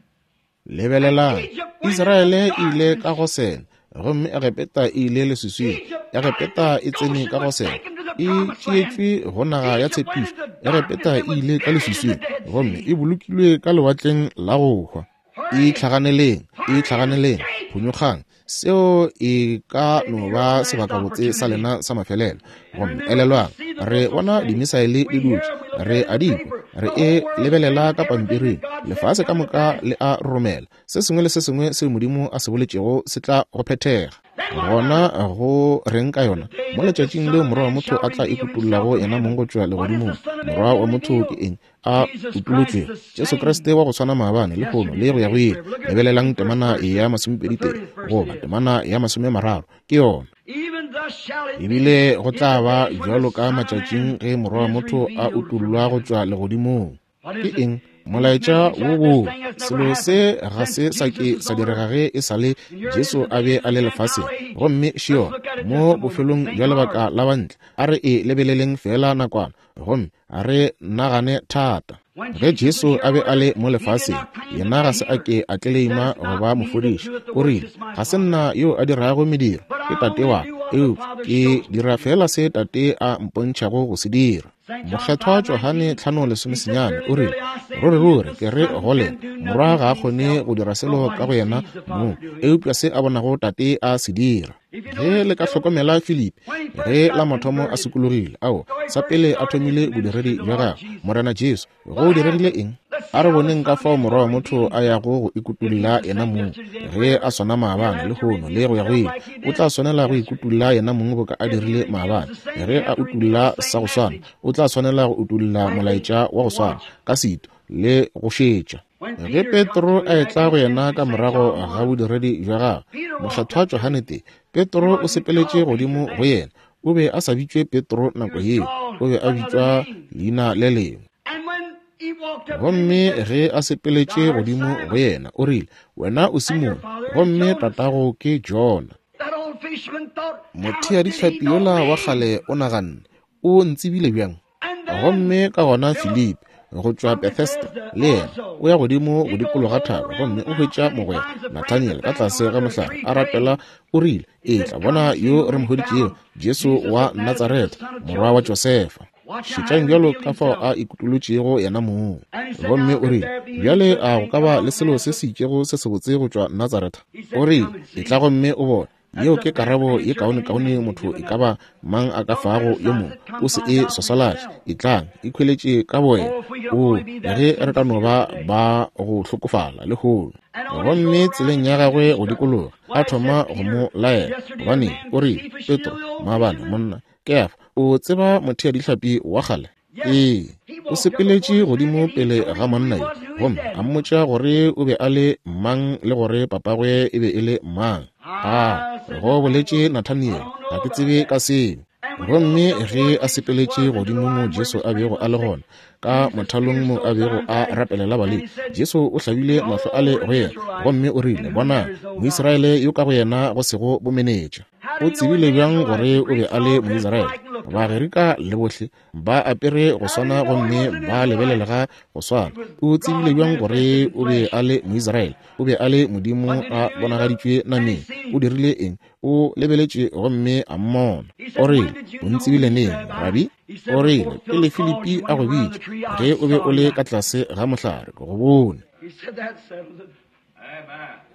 Lebelelang, Israele e ile ka Gosene, gomme Egepeta e ile leswiswing. Egepeta e tsene ka Gosene, e tšeetšwe go naga ya tshepišo. Egepeta e ile ka leswiswing, gomme e bolokilwe ka lewatleng la go hwa. Itlhaganeleng, itlhaganeleng, phonyokgang. Seo e ka no ba sebakabotse sa lena sa mafelelo. Gomme elelwang, re bona dimisaele di dutše, re a di kwa, re e lebelela ka pampiring. Lefase ka moka le a romela. Se sengwe le se sengwe seo Modimo a se boletšego se tla go phethega. Gona go reng ka yona? Mo letšatšing leo Morwa wa motho a tla ikutullago yena mong go tšwa legodimong. Morwa wa motho ke eng? A utulotšwego. Jesu Kriste wa go swana maabane, lehono le go ya go ile. Lebelelang temana ya masomepedi tee goba temana ya masomemararo, ke yona. Ebile go tla ba bjalo ka matšatšing ge Morwa wa motho a utullwa go tšwa legodimong. Ke eng? Molaetša wo wo selo se ga se sa ke sa direga ge e sa le Jesu a be a le lefaseng. Gomme šio mo bofelong bja lebaka la bantle, a re e lebeleleng fela nakwana, gomme a re nagane thata. Ge Jesu a be a le mo lefaseng, yena ga se a ke a tleleima go ba mofodiši. O rile, ga se nna yo a dirago mediro, ke Tate wa ka, eupša ke dira fela se Tate a mpontšhago go se dira. Mokgethwa Johane tlhano lesomesenyane o rile, ruri ruri ke re go lena, Morwa ga a kgone go dira selo ka go yena mong, eupša se a bonago Tate a se dira. Ge le ka hlokomela Filipi, ge la mathomo a sokologile, ao sa pele a thomile bodiredi bja gagwe, Morena Jesu, go diregile eng? A re boneng ka fao Morwa wa motho a yago go ikutulla yena mong. Ge a swana maabane, lehono le go ya go ile, o tla swanela go ikutulla yena mong boka a dirile maabane. Ge a utulla sa go swana, o tla swanela go utulla molaetša wa go swana ka setu le go šetša. Ge Petro a etla go yena ka morago ga bodiredi bja gagwe, Mokgethwa Johane tee, Petro o sepeletše godimo go yena. O be a sa bitšwe Petro nako yeo, o be a bitšwa leina le lengwe. Gomme ge a sepeletše godimo go yena, o rile, wena o Simone, gomme tatago ke Jona. Motheadihlapi yola wa kgale o naganne, o ntsebile bjang? Gomme ka gona Filipi go tšwa Bethesda le yena o ya godimo go dikologa thaba, gomme o hwetša mogwera Nathaniel ka tlase ga mohlare a rapela. O rile, etla bona yo re mo hweditšego, Jesu wa Natsaretha, morwa wa Josefa. Šetšang bjalo ka fao a ikutolotšego yena mong. Gomme o rile, bjale a go ka ba le selo se se itšego se sebotse go tšwa Natsaretha? O rile, etla gomme o bone. Yeo ke karabo ye kaonekaone motho e ka ba mang a ka fago yo mongwe. O se e swaswalatše, etlang, ikhweletše ka bowena. O, ge re ka no ba ba go hlokofala lehono. Gomme tseleng ya gagwe go dikologa, a thoma go mo laela. Gobane o rile, Petro, maabane monna, Kefa, o tseba motheadihlapi wa kgale? Ee, o sepeletše godimo pele ga monna yo, gomme a mmotša gore o be a le mang le gore papagwe e be e le mang. A go boletše Nathaniel, ga ke tsebe ka seo. Gomme ge a sepeletše godimo mo Jesu a bego a le gona, ka mothalong mo a bego a rapelela balei, Jesu o hlabile mahlo a le go yena, gomme o rile, bona, Moisraele yo ka go yena go sego bomenetša. O tsebile bjang gore o be a le Moisraele? Bagerika le bohle ba apere go swana gomme ba lebelelega go swana. O tsebile bjang gore o be a le Moisraele? O be a le Modimo a bonagaditšwe nameng. O dirile eng? O lebeletše gomme a mmona. O rile, o ntsebile neng, Rabi? O rile, pele Filipi a go bitša, ge o be o le ka tlase ga mohlare, ke go bone.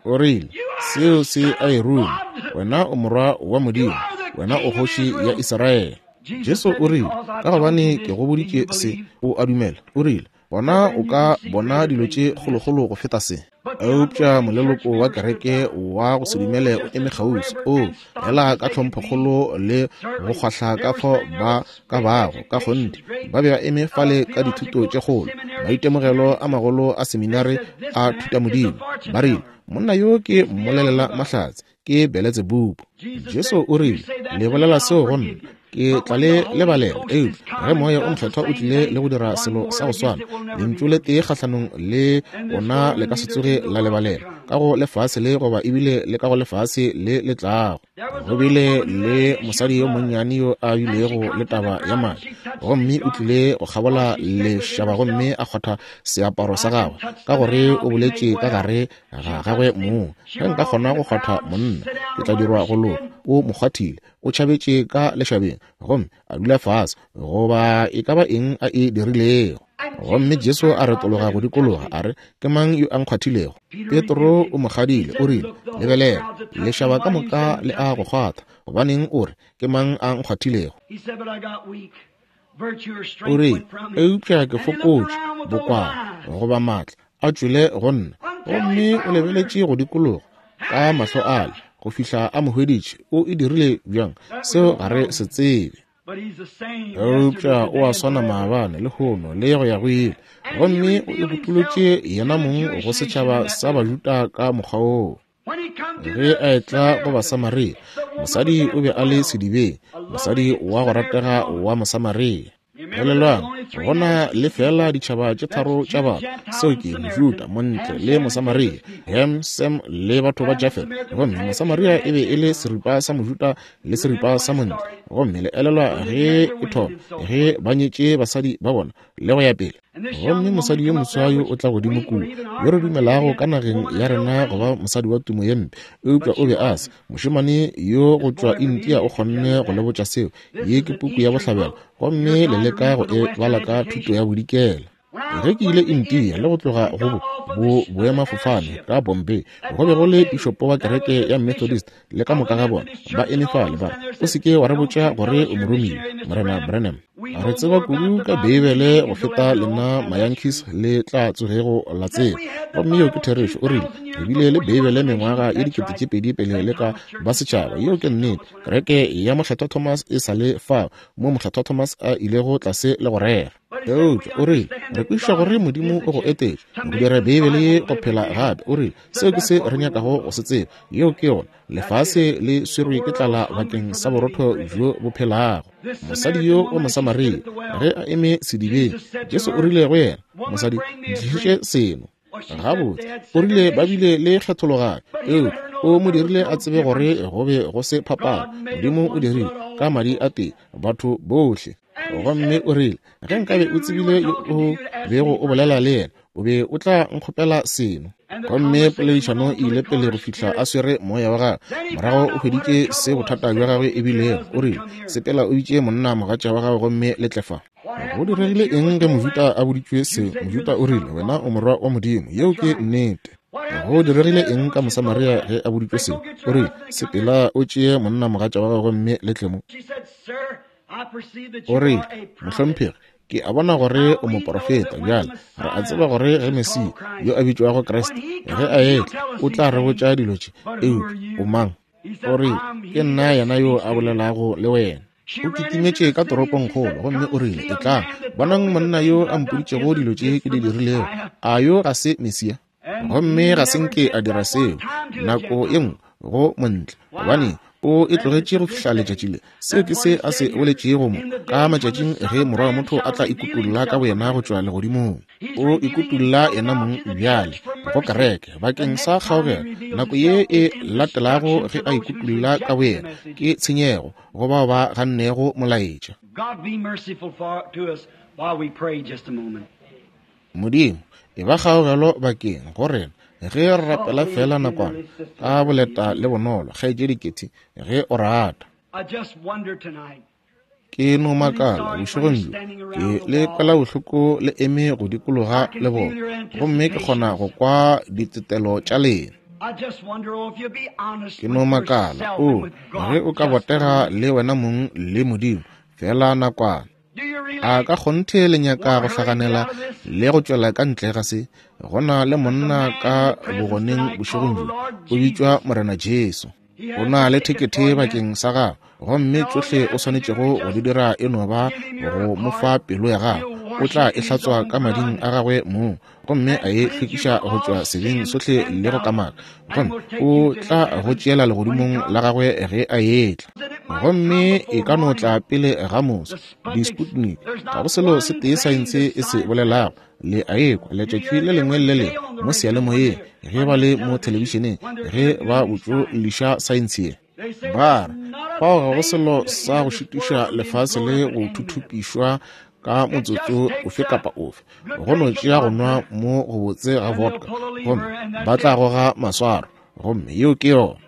O rile, seo se a e ruma, wena o morwa wa Modimo, wena o kgoši ya Israele. Jesu o rile, ka gobane ke go boditše se, o a dumela. O rile, bona o ka bona dilo tše kgolokgolo go feta se. Eupša moleloko wa kereke wa go se dumele o eme kgauswi, o ela ka tlhomphokgolo le go kgwahla ka fao ba ka bago ka kgonthe. Ba be ba eme fale ka dithuto tše kgolo, maitemogelo a magolo a seminare a thutamodimo. Ba rile, monna yo ke mmolelela mahlatse, ke Beletsebubu. Jesu o rile, le bolela seo go nna, ke tla le lebalela. Eupša ge Moya o Mokgethwa o tlile le go dira selo sa go swana, lentšu le tee kgahlanong le ona le ka se tsoge la lebalela. ka go lefase le goba ebile le ka go lefase le le tlago. Go bile le mosadi yo monnyane yo a bilego le taba ya madi, gomme o tlile go kgabola lešaba gomme a kgwatha seaparo sa gagwe, ka gore o boletše ka gare ga gagwe mong, ge nka kgona go kgwatha monna, ke tla dirwa go loka. O mo kgwathile, o tšhabetše ka lešabeng gomme a dula fase, goba e ka ba eng a e dirilego. Gomme Jesu a retologa go dikologa a re, ke mang yo a nkgwathilego? Petro o mo kgadile, o rile, lebelela, lešaba ka moka le a go kgwatha, gobaneng o re, ke mang a nkgwathilego? O rile, eupša ke fokotše, bokwala goba maatla a tšwele go nna. Gomme o lebeletše go dikologa ka mahlo ale go fihla a mo hweditše. O e dirile bjang? Seo ga re se tsebe. Eupša o a swana maabane, lehono le go ya go ile. Gomme o ikutolotše yena mong go setšhaba sa Bajuda ka mokgwa woo. Ge a etla go Basamaria, mosadi o be a le sedibeng, mosadi wa go ratega wa Mosamaria. Elelwang, go na le fela ditšhaba tše tharo tša batho, seo ke Mojuda, Montle le Mosamaria, Ham, Sem le batho ba Jafet. Gomme Mosamaria e be e le seripa sa Mojuda le seripa sa Montle. Gomme le elelwa ge e thoma, ge ba nyetše basadi ba bona le go ya pele. Gomme mosadi yo moswa yo o tla godimo kua, yo re dumelago ka nageng ya rena go ba mosadi wa tumo ye mpe, eupša o be a se. Mošemane yo go tšwa India o kgonne go le botša seo. Ye ke puku ya bohlabela, gomme le leka go e bala ka thuto ya bodikela. Ge ke ile India le go tloga go bo boemafofane ka Bombay, go be go le pišopo wa kereke ya Methodist le ka moka ga bona ba eme fale ba re, o se ke wa re botša gore o moromiwa, Morena Branham. Re tseba kudu ka Beibele go feta lena Mayankees le tla tsogego la tseba. Gomme yeo ke therešo. O rile, re bile le Beibele mengwaga ye dikete tše pedi pele le ka ba setšhaba. Yeo ke nnete. Kereke ya Mokgethwa Thomas e sa le fao mo Mokgethwa Thomas a ilego tlase le go rera. Eupša o rile, re kwešiša gore Modimo o go etetše go dira Beibele ye go phela gape. O rile, seo ke se re nyakago go se tseba. Yeo ke yona. Lefase le swerwe ke tlala bakeng sa borotho bjo bo phelago. Mosadi yo wa Mosamaria ge a eme sedibeng, Jesu o rile go yena, mosadi, ntlišetše seno. Gabotse, o rile ba bile le kgethologanyo, eupša o mo dirile a tsebe gore go be go se phapano. Modimo o dirile ka madi a tee batho bohle. Gomme o rile, ge nkabe o tsebile yo o bego o bolela le yena, o be o tla nkgopela seno. Gomme poledišano e ile pele go fihla a swere moya wa gagwe. Morago o hweditše se bothata bja gagwe e bilego. O rile, sepela o bitše monna mogatša wa gagwe gomme le tle fa. Go diregile eng ge Mojuda a boditšwe se? Mojuda o rile, wena o morwa wa Modimo. Yeo ke nnete. Go diregile eng ka Mosamaria ge a boditšwe se? O rile, sepela o tšee monna mogatša wa gagwe gomme le tle mo. O rile, mohlomphegi, ke a bona gore o moporofeta. Bjale re a tseba gore ge Mesia yo a bitšwago Kriste ge a etla, o tla re botša dilo tše. Eupša o mang? O rile, ke nna yena yo a bolelago le wena. O kitimetše ka toropongkgolo gomme o rile, etlang, bonang monna yo a mpoditšego dilo tše ke di dirilego. A yo ga se Mesia? Gomme ga se nke a dira seo nako ye nngwe go montle, gobane o e tlogetše go fihla letšatši le. Seo ke se a se boletšego mo ka matšatšing ge morwa wa motho a tla ikutulla ka boyena go tšwa legodimong. O ikutulla yena mong bjale go kereke bakeng sa kgaogelo. Nako ye e latelago ge a ikutulla ka boyena ke tshenyego go bao ba gannego molaetša. Modimo, e ba kgaogelo bakeng go rena ge re rapela fela nakwana ka boleta le bonolo, kgaetšedi Ketty, ge o rata. Ke no makala bošegong bjo, ke le kwela bohloko le eme go dikologa le bona, gomme ke kgona go kwa ditetelo tša lena. Ke no makala, o, ge o ka botega le wena mong le Modimo fela nakwana. A ka kgonthe le nyaka go hlaganela le go tšwela ka ntle ga se? Go na le monna ka bogoneng bošegong bjo, o bitšwa Morena Jesu. O na le thekethe bakeng sa gago, gomme tšohle o swanetšego go di dira e no ba go mo fa pelo ya gago. o tla e hlatswa ka mading a gagwe mong, gomme a e hlwekiša go tšwa sebeng sohle le go kamaka, gomme o tla go tšeela legodimong la gagwe ge a etla. Gomme e ka no tla pele ga moso, di-Sputnik, ga go selo se tee saense e se bolelago. Le a ekwa letšatši le lengwe le le mo seyalemoyeng, ge ba le mo thelebišeneng, ge ba botšoliša saense ye. Ba re fao ga go selo sa go šitiša lefase le go thuthupišwa ka motsotso ofe kapa ofe, go no tšea go nwa mo go botse ga vodka, gomme ba tla goga maswaro, gomme yeo ke yona.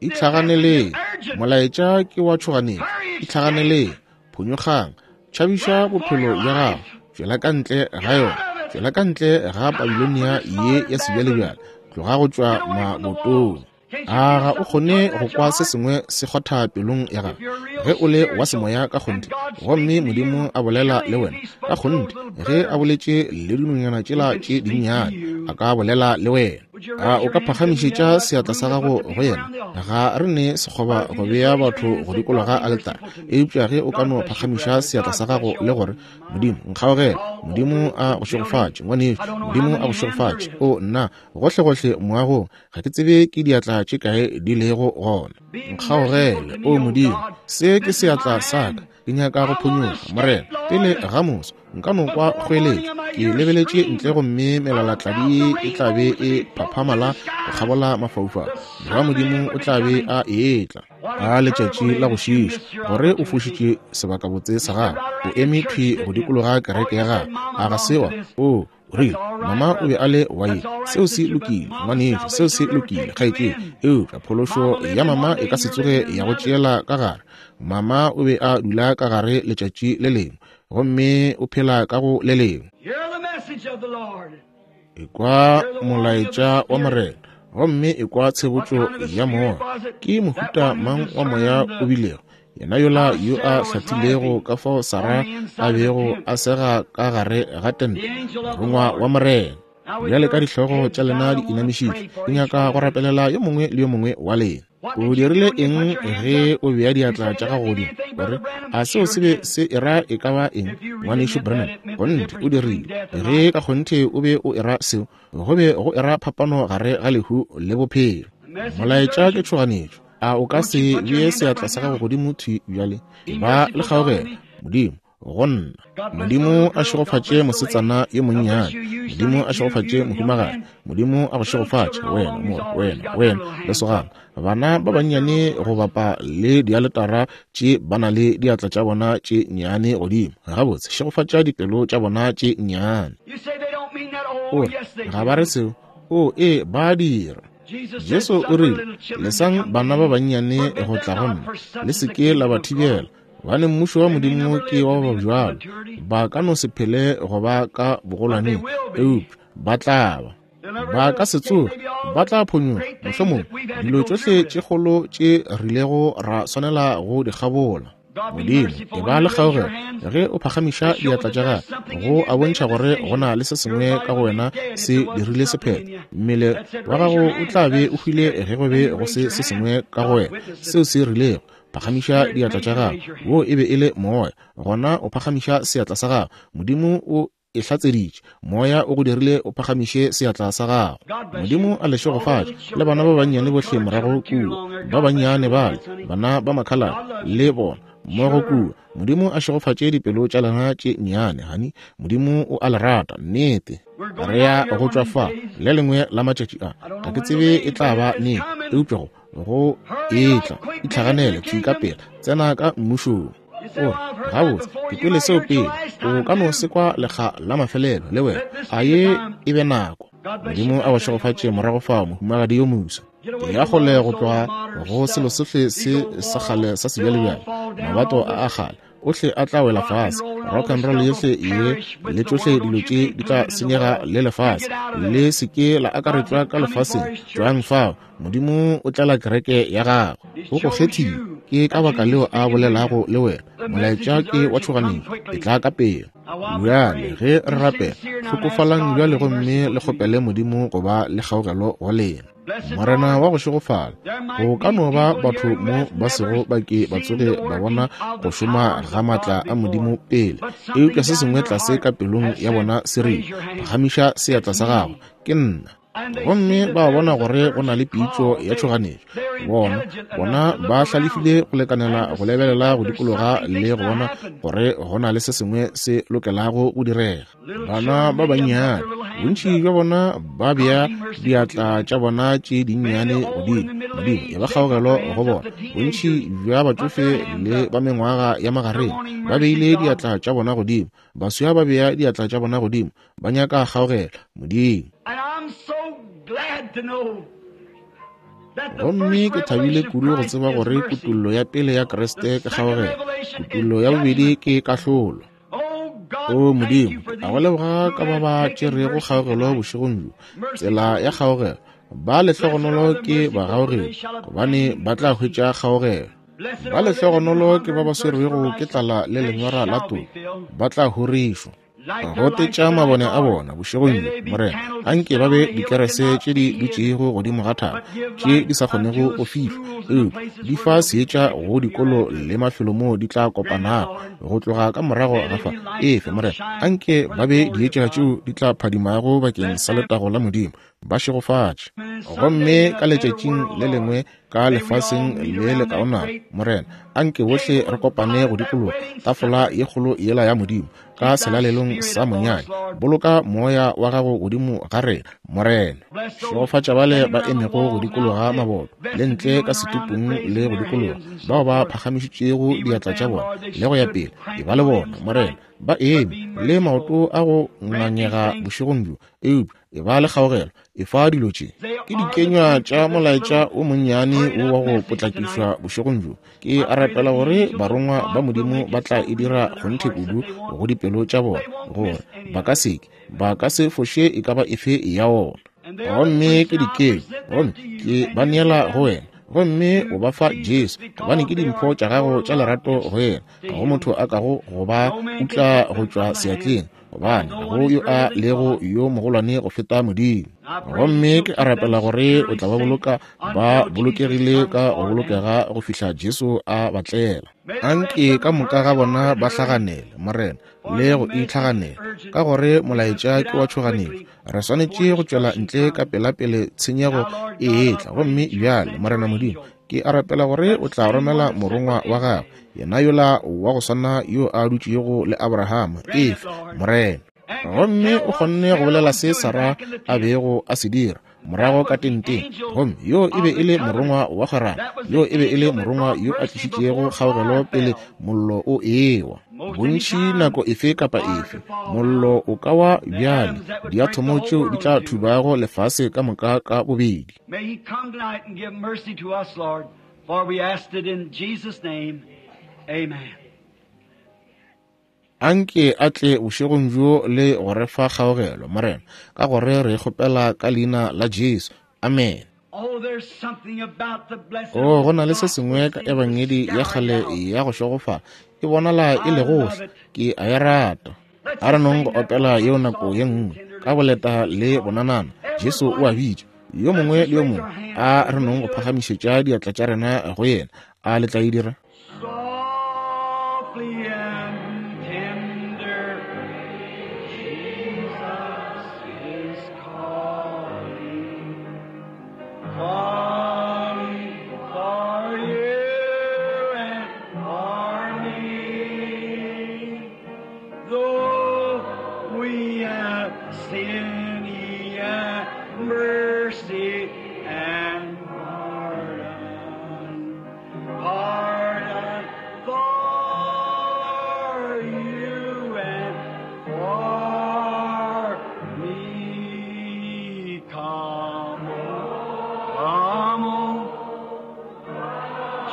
Itlhaganeleng, molaetša ke wa tšhoganetšo. Itlhaganeleng, phonyokgang, tšhabiša bophelo bja gago, tšwela ka ntle ga yona, tšwela ka ntle ga Babilonia ye ya sebjalebjale, tloga go tšwa mabotong. A ga o kgone go kwa se sengwe se kgotha pelong ya gago ge o le wa semoya ka kgonthe, gomme Modimo a bolela le wena ka kgonthe? Ge a boletše le dinonyana tšela tše dinnyane, a ka bolela le wena. A o ka phagamišetša seatla sa gago go yena? Ga re ne sekgoba go bea batho go dikologa aletara, eupša ge o ka no phagamiša seatla sa gago le gore, Modimo nkgaogele, Modimo a go šegofatše ngwanešu, Modimo a go šegofatše. O nna, gohlegohle moagong, ga ke tsebe ke diatla tše kae di lego gona. Nkgaogele, o Modimo, se ke seatla sa ka, ke nyaka go phonyokga, Morena, pele ga moso nka no kwa kgoeletšo. Ke lebeletše ntle gomme melalatladi e tla be e phaphamala go kgabola mafaufau. Morwa Modimo o tla be a etla ka letšatši la go šiša, gore o fošitše sebakabotse sa gago, o eme thwi go dikologa kereke ya gago. A ga se wa? O rile, mama o be a le wa ye. Seo se lokile, ngwanešu, seo se lokile, kgaetšedi, eupša phološo ya mama e ka se tsoge ya go tšeela ka gare. Mama o be a dula ka gare letšatši le lengwe, gomme o phela ka go le lengwe. Ekwa molaetša wa Morena, gomme ekwa tshebotšo ya moya. Ke mohuta mang wa moya o bilego? Yena yola yo a hlathilego ka fao Sara a bego a sega ka gare ga tente, morongwa wa Morena. Bjale ka dihlogo tša lena di inamišitšwe, ke nyaka go rapelela yo mongwe le yo mongwe wa lena. O dirile eng ge o bea diatla tša gago godimo? Gore a seo se be se era e ka ba eng, ngwanešu Branham? Kgonthe o dirile. Ge ka kgonthe o be o era seo, go be go era phapano gare ga lehu le bophelo. Molaetša ke tšhoganetšo. A o ka se bee seatla sa gago godimo thwi bjale? Ba le kgaogelo, Modimo, go nna. Modimo a šegofatše mosetsana yo monnyane. Modimo a šegofatše mohumagadi. Modimo a go šegofatše wena, mo, wena, wena, lesogana. Bana ba bannyane go bapa le dialetara tše ba na le diatla tša bona tše nnyane godimo. Gabotse, šegofatša dipelo tša bona tše nnyane. O re, ga ba re seo. O, ee, ba dira. Jesu o rile, lesang bana ba bannyane go tla go nna, le se ke la ba thibela, gobane mmušo wa Modimo ke wa ba bjalo. Ba ka no se phele go ba ka bogolwaneng, eupša ba tla ba. Ba ka se tsoge, ba tla phonyokga, mohlomongwe dilo tšohle tše kgolo tše rilego ra swanela go di kgabola. Modimo, e ba le kgaogelo ge o phagamiša diatla tša gago, go a bontšha gore go na le se sengwe ka go wena se dirile sephetho. Mmele wa gago o tla be o hwile ge go be go se se sengwe ka go wena seo se rilego. Phagamiša diatla tša gago, wo e be e le moya. Gona o phagamiša seatla sa gago, Modimo o e hlatseditše, moya o go dirile o phagamiše seatla sa gago. Modimo a le šegofatše, le bana ba bannyane bohle morago kua, ba bannyane bale, bana ba makhaladi le bona mmogo kua. Modimo a šegofatše dipelo tša lena tše nnyane, hani. Modimo o a le rata, nnete. Re ya go tšwa fa le lengwe la matšatši a, ga ke tsebe e tla ba neng, eupša go go etla, itlhaganele thwi ka pela, tsena ka mmušong. O re, gabotse, ke kwele seo pele. O ka no se kwa lekga la mafelelo le wena. A ye e be nako. Modimo a go šegofatše morago fao, mohumagadi yo moswa. Ya kgole go tloga go selo sohle se sa kgale sa sebjalebjale, mabato a a kgale ohle a tla wela fase, rock and roll yohle ye le tšohle dilo tše di tla senyega le lefase. Le se ke la akaretšwa ka lefaseng, tšwang fao. Modimo o tlela kereke ya gagwe. O go kgethile, ke ka baka leo a bolelago le wena. Molaetša ke wa tšhoganetšo, e tla ka pele. Bjale ge re rapela, hlokofalang bjale gomme le kgopele Modimo go ba le kgaogelo go lena. Morena wa go šegofala, go ka no ba batho mo ba sego ba ke ba tsoge ba bona go šoma ga maatla a Modimo pele, eupša se sengwe tlase ka pelong ya bona se rile, phagamiša seatla sa gago, ke nna. Gomme ba bona gore go na le pitšo ya tšhoganetšo. Bona, bona ba hlalefile go lekanela go lebelela go dikologa le go bona gore go na le se sengwe se lokelago go direga. Bana ba bannyane, bontši bja bona ba bea diatla tša bona tše dinnyane godimo, Modimo e ba kgaogelo go bona. Bontši bja batšofe le ba mengwaga ya magareng ba beile diatla tša bona godimo, baswa ba bea diatla tša bona godimo, ba nyaka kgaogelo Modimo. Gomme ke thabile kudu go tseba gore kutollo ya pele ya Kriste ke kgaogelo, kutollo ya bobedi ke kahlolo. O Modimo, a go leboga ka ba ba tšerego kgaogelo bošegong bjo, tsela ya kgaogelo. Ba lehlogonolo ke bagaogedi, gobane ba tla hwetša kgaogelo. Ba lehlogonolo ke ba ba swerwego ke tlala le lenyora la toka, ba tla horišwa. Gotetša mabone a bona bošegong bjo, Morena, anke ba be dikerese tše di dutšego godimo ga thaba, tše di sa kgonego go fihlwa, eupša di fa seetša go dikolo le mafelo moo di tla kopanago go tloga ka morago ga fa. Efe, Morena, anke ba be dietša tšeo di tla phadimago bakeng sa letago la Modimo, ba šegofatše. Gomme ka letšatšing le lengwe ka lefaseng le le kaonana, Morena, anke bohle re kopane go dikologa tafola ye kgolo yela ya Modimo ka selalelong sa monyanya. Boloka moya wa gago godimo ga rena, Morena. Šegofatša bale ba emego go dikologa maboto le ntle ka setupung le go dikologa, bao ba phagamišitšego diatla tša bona le go ya pele. E ba le bona, Morena, ba eme le maoto a go ngangega bošegong bjo, eupša e ba le kgaogelo. E fa dilo tše ke dikenywa tša molaetša o monnyane wo wa go potlakišwa bošegong bjo. Ke a rapela gore barongwa ba Modimo ba tla e dira kgonthe kudu go dipelo tša bona, gore ba ka seke ba ka se foše e ka ba efe ya ona. Gomme ke dikenywa, gomme ke ba neela go wena, gomme o ba fa Jesu, gobane ke dimpho tša gago tša lerato go yena. Ga go motho a kago go ba utla go tšwa seatleng, gobane ga go yo a lego yo mogolwane go feta Modimo. Gomme ke a rapela gore o tla ba boloka ba bolokegile ka go bolokega go fihla Jesu a ba tlela. Anke ka moka ga bona ba hlaganele, Morena, le go itlhaganela, ka gore molaetša ke wa tšhoganetšo. Re swanetše go tšwela ntle ka pelapele tshenyego e etla. Gomme bjale, Morena Modimo, ke a rapela gore o tla romela morongwa wa gagwe, yena yola wa go swana yo a dutšego le Abrahama, efe, Morena. Gomme o kgonne go bolela se Sara a bego a se dira morago ka tenteng. Gomme yo e be e le morongwa wa kgwerano, yo e be e le morongwa yo a tlišitšego kgaogelo pele mollo o ewa. Bontši nako efe kapa efe mollo o ka wa bjale, diathomo tšeo di tla thubago lefase ka moka ka bobedi. Anke a tle bošegong bjo le go re fa kgaogelo, Morena, ka gore re kgopela ka leina la Jesu. Amen. Oh, go na le se sengwe ka ebangedi ya kgale ya go šegofala, e bonala e le gohle. Ke a e rata. A re nong go opela yeo nako ye nngwe ka boleta le bonanana. Jesu o a bitša yo mongwe le yo mongwe. A re nong go phagamišetša diatla tša rena go yena. A le tla e dira?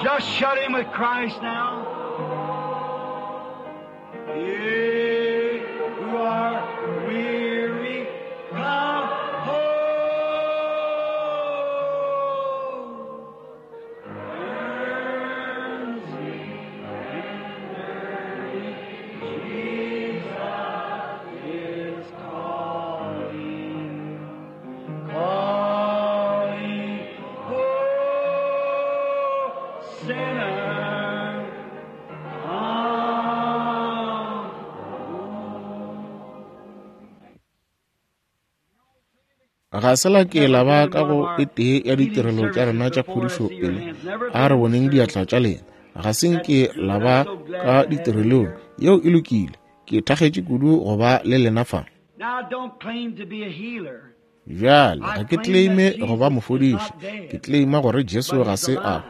Just shut him with Christ now. Ye who are weary, come home. Jesus is calling, calling. Ga se la ke la ba ka go e tee ya ditirelo tša rena tša phodišo pele. A re boneng diatla tša lena. Ga se nke la ba ka ditirelong. Yeo e lokile. Ke thakgetše kudu go ba le lena fa. Bjale, ga ke claime go ba mofodiši. Ke claima gore Jesu ga se a hwa,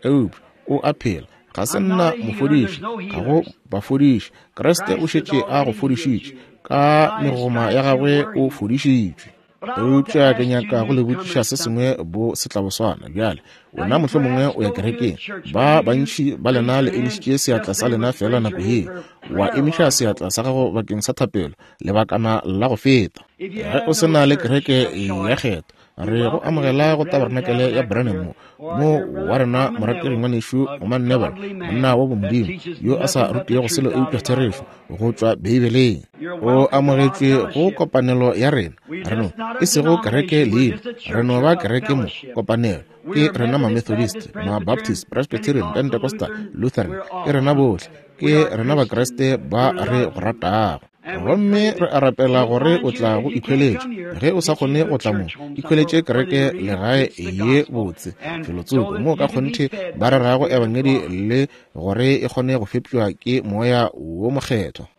eupša o a phela. Ga se nna mofodiši, ga go bafodiši. Kriste o šetše a go fodišitše. Ka megoma ya gagwe o fodišitšwe. Eupša ke nyaka go le botšiša se sengwe bo setlaboswana. Bjale, wena mohlomongwe o ya kerekeng. Ba bantši ba lena le emišitše seatla sa lena fela nako ye. Wa emiša seatla sa gago bakeng sa thapelo lebakana la go feta. Ge o se na le kereke ya kgetho, re go amogela go tabernacle ya Branham mo, mo wa rena morategi ngwanešu Oman Neville, monna wa bomodimo yo a sa rutego selo eupša therešo go tšwa Beibeleng. O amogetšwe go kopanelo ya rena. Re no e sego kereke leina, re no ba kereke mo kopanelo. Ke rena ma-Methodist, ma-Baptist, Presbyterian, Pentecostal, Lutheran, ke rena bohle, ke rena Bakriste ba re go ratago. Gomme re a rapela gore o tla go ikhweletša. Ge o sa kgone go tla mo, ikhweletše kereke legae ye botse, felotsoko moo ka kgonthe ba rerago ebangedi le gore e kgone go fepšwa ke moya wo mokgethwa.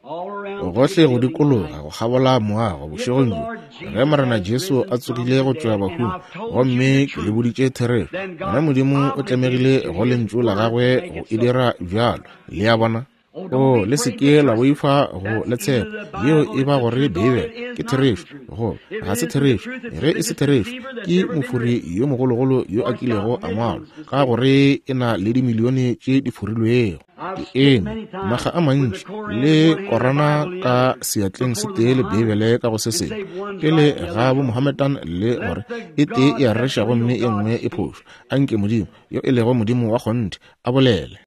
Gohle go dikologa go kgabola moago bošegong bjo, ge Morena Jesu a tsogile go tšwa bahung, gomme ke le boditše therešo, gona Modimo o tlemegile go lentšu la gagwe go e dira bjalo. Le a bona? O le se ke la boifa go le tshepa. Yeo e ba gore Beibele ke therešo, go ga se therešo. Ge e se therešo, ke mofori yo mogologolo yo a kilego a ngwalwa, ka gore e na le dimilione tše di forilwego. Ke eme makga a mantši le Korana ka seatleng se tee le Beibele ka go se sengwe, pele ga bo Mohammedan, le gore e tee e a reša gomme e nngwe e phošo. Anke Modimo yo e lego Modimo wa kgonthe a bolele.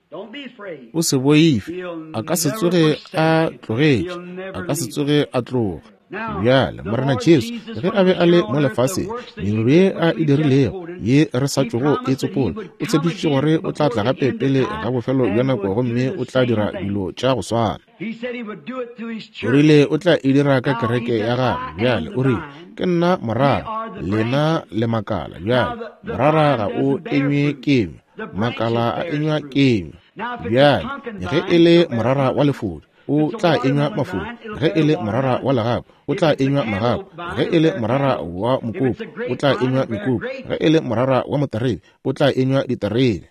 O se boife, a ka se tsoge a tlogetše, a ka se tsoge a tloga. Bjale, Morena Jesu, ge a be a le mo lefaseng, mediro ye a e dirilego ye re sa tšogo e tsopola, o tshepišitše gore o tla tla gape pele ga bofelo bja nako gomme o tla dira dilo tša go swana. O rile o tla e dira ka kereke ya gagwe. Bjale, o rile, ke nna morara, lena le makala. Bjale, morara ga o enywe kenywa, makala a enywa kenywa. Bjale, ge e le morara wa lefodi, o tla enywa mafodi. Ge e le morara wa legapu, o tla enywa magapu. Ge e le morara wa mokopu, o tla enywa mekopu. Ge e le morara wa moterebe, o tla enywa diterebe.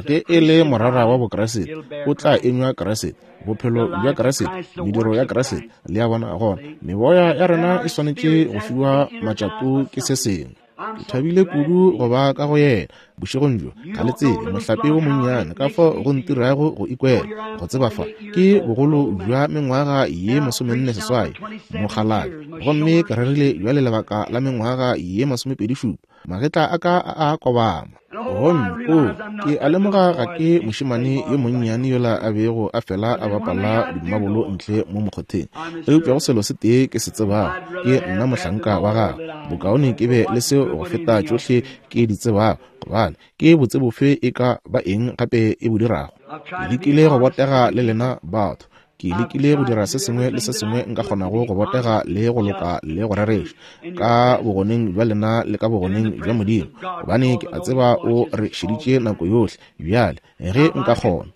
Ge e le morara wa bokreste, o tla enywa Kriste. Bophelo bja Kriste, mediro ya Kriste. Le a bona gona, meboya ya rena e swanetše go fiwa matšato ke se sengwe. Ke thabile kudu go ba ka go yena bošegong bjo. Ga le tsebe mohlape wo monnyane ka fao go ntirago go ikwela go tseba fa ke bogolo bja mengwaga ye masomenne seswai mokgalabje, gomme ke rerile bjale lebaka la mengwaga ye masomepedi šupa. Magetla a ka a a kobama. Gomme o ke a lemoga ga ke mošemane yo monnyane yola a bego a fela a bapala dimabolo ntle mo mokgotheng, eupša go selo se tee ke se tsebago, ke nna mohlanka wa gagwe. Bokaone ke be le seo go feta tšohle ke di tsebago, gobane ke botse bofe e ka ba eng gape e bo dirago. Ke lekile go botega le lena batho. Ke lekile go dira se sengwe le se sengwe nka kgonago go botega le go loka le go rereša ka bogoneng bja lena le ka bogoneng bja Modimo, gobane ke a tseba o re šeditše nako yohle. Bjale ge nka kgona,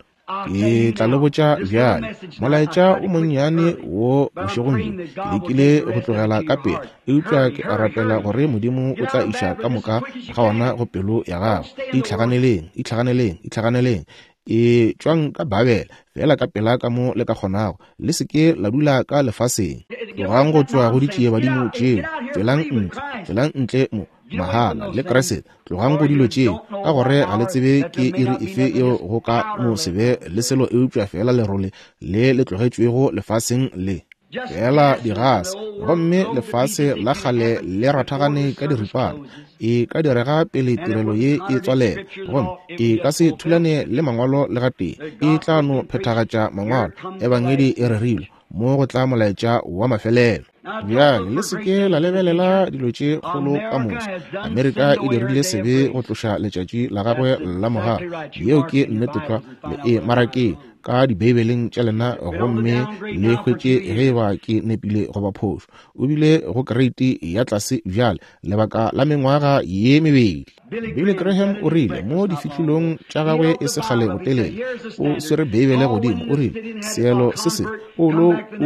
ke tla le botša bjale molaetša o monnyane wo bošegong bjo. Ke lekile go tlogela ka pele, eupša ke a rapela gore Modimo o tla iša ka moka ga ona go pelo ya gago. Itlhaganeleng, itlhaganeleng, itlhaganeleng. E tšwang ka Babele fela ka pela ka mo le ka kgonago. Le se ke la dula ka lefaseng. Tlogang go tšwa go ditšiebadimo tšeo. Tšwelang ntle, tšwelang ntle mo mahala le Kriste. Tlogang go dilo tšeo, ka gore ga le tsebe ke iri efe yeo go ka no se be le selo eupša fela lerole le le tlogetšwego lefaseng le. Fela digase, gomme lefase la kgale le rathagane ka diripana. E ka direga pele tirelo ye e tswalela, gomme e ka se thulane le mangwalo le gatee. E tla no phethagatša mangwalo. Ebangedi e rerilwe mo go tla molaetša wa mafelelo. Bjale le se ke la lebelela dilo tše kgolo ka moso. Amerika e dirile sebe go tloša letšatši la gagwe la mogala. Yeo ke nnete tlwa. Le e marakeng. ka Dibeibeleng tša lena gomme le hwetše ge eba ke nepile goba phošo. O bile go kereiti ya tlase bjale lebaka la mengwaga ye mebedi. Billy Graham o rile mo difihlolong tša gagwe e se kgale botelele, o swere Beibele godimo, o rile seelo se se Paulo o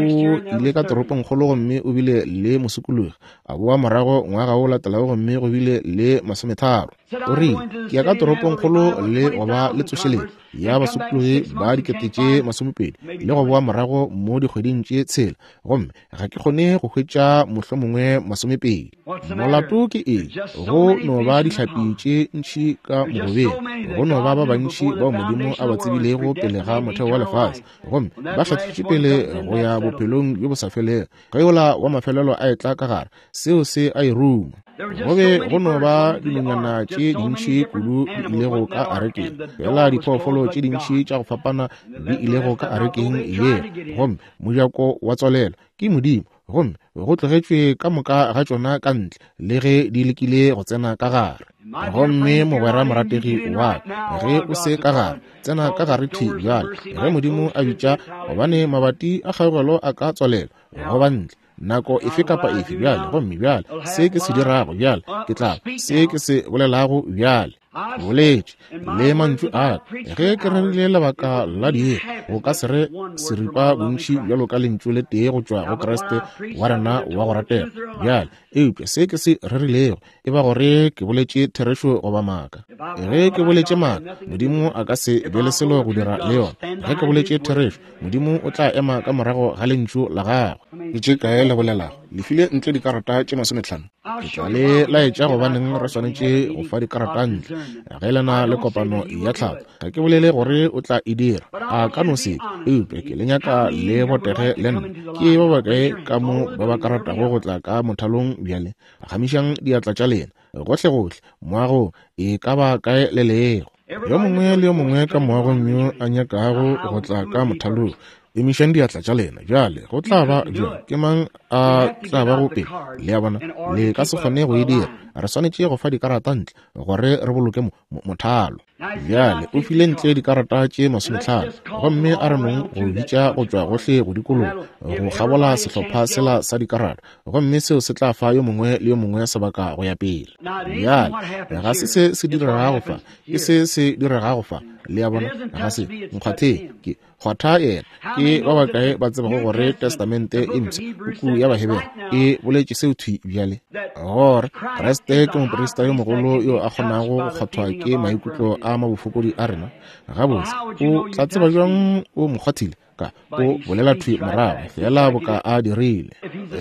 ile ka toropongkgolo gomme o bile le mosokologi, a boa morago ngwaga o latelago gomme go bile le masometharo. O rile ke ya ka toropongkgolo le go ba le tsošeletšo ya basokologi ba dikete tše masomepedi le go boa morago mo dikgweding tše tshela, gomme ga ke kgone go hwetša mohlomongwe masomepedi. Molato ke eng? Go no ba dihlapi tše ntši ka mogobeng, go no ba ba bantši bao Modimo a ba tsebilego pele ga motheo wa lefase, gomme ba hlahlitše pele go ya bophelong bjo bo sa felego. Ge yola wa mafelelo a etla ka gare, seo se a e ruma. Go be go no ba dinonyana tše dintši kudu di ilego ka arekeng, fela diphoofolo tše dintši tša go fapana di ilego ka arekeng yeo, gomme mojako wa tswalelwa ke Modimo, gomme go tlogetšwe ka moka ga tšona ka ntle le ge di lekile go tsena ka gare. Gomme mogwera morategi wa ka, ge o se ka gare, tsena ka gare thwi bjale ge Modimo a bitša, gobane mabati a kgaugelo a ka tswalelwa go ba ntle nako efe kapa efe bjale. Gomme bjale se ke se dirago bjale, ke tla se ke se bolelago bjale, boletše le mantšu a ka ge ke rerile lebaka la diiri, go ka se re seripa bontši bjalo ka lentšu le tee go tšwa go Kriste wa rena wa go ratega bjale. Eupša se ke se rerilego e ba gore ke boletše therešo goba maaka. Ge ke boletše maaka, Modimo a ka se be le selo go dira le yona. Ge ke boletše therešo, Modimo o tla ema ka morago ga lentšu la gagwe. Ke tše kae le bolelago? Le file ntle dikarata tše masometlhano. Ke tla le laetša gobaneng re swanetše go fa dikarata ntle ge le na le kopano ya tlhago. Ga ke bolele gore o tla e dira, a ka no se, eupša ke le nyaka le botege le nna. Ke ba bakae ka mo ba ba ka ratago go tla ka mothalong bjale? Gamišang diatla tša lena gohlegohle moagong, e ka ba kae le lego. Yo mongwe le yo mongwe ka moagong yo a nyakago go tla ka mothalong, emišang diatla tša lena bjale. Go tla ba bjang? Ke mang a tla bago pele? Le a bona, le ka se kgone go e dira. Re swanetše go fa dikarata ntle gore re boloke mothalo. Bjale o file ntle dikarata tše masometlhano, gomme a re nong go bitša go tšwa gohle go dikologa go kgabola sehlopha sela sa dikarata, gomme seo se tla fa yo mongwe le yo mongwe sebaka go ya pele. Bjale ga se se se diregago fa, ke se se diregago fa. Le a bona, ga se nkgwatheng, ke kgwatha yena. Ke ba bakae ba tsebago gore Testamente e mpsha, puku ya Bahebere, e boletše seo thwi bjale, gore Kriste ke moprista yo mogolo yo a kgonago go kgwathwa ke maikutlo a mabofokodi a rena? Gabotse, o tla tseba bjang o mo kgwathile? Ka o bolela thwi morago fela boka a dirile.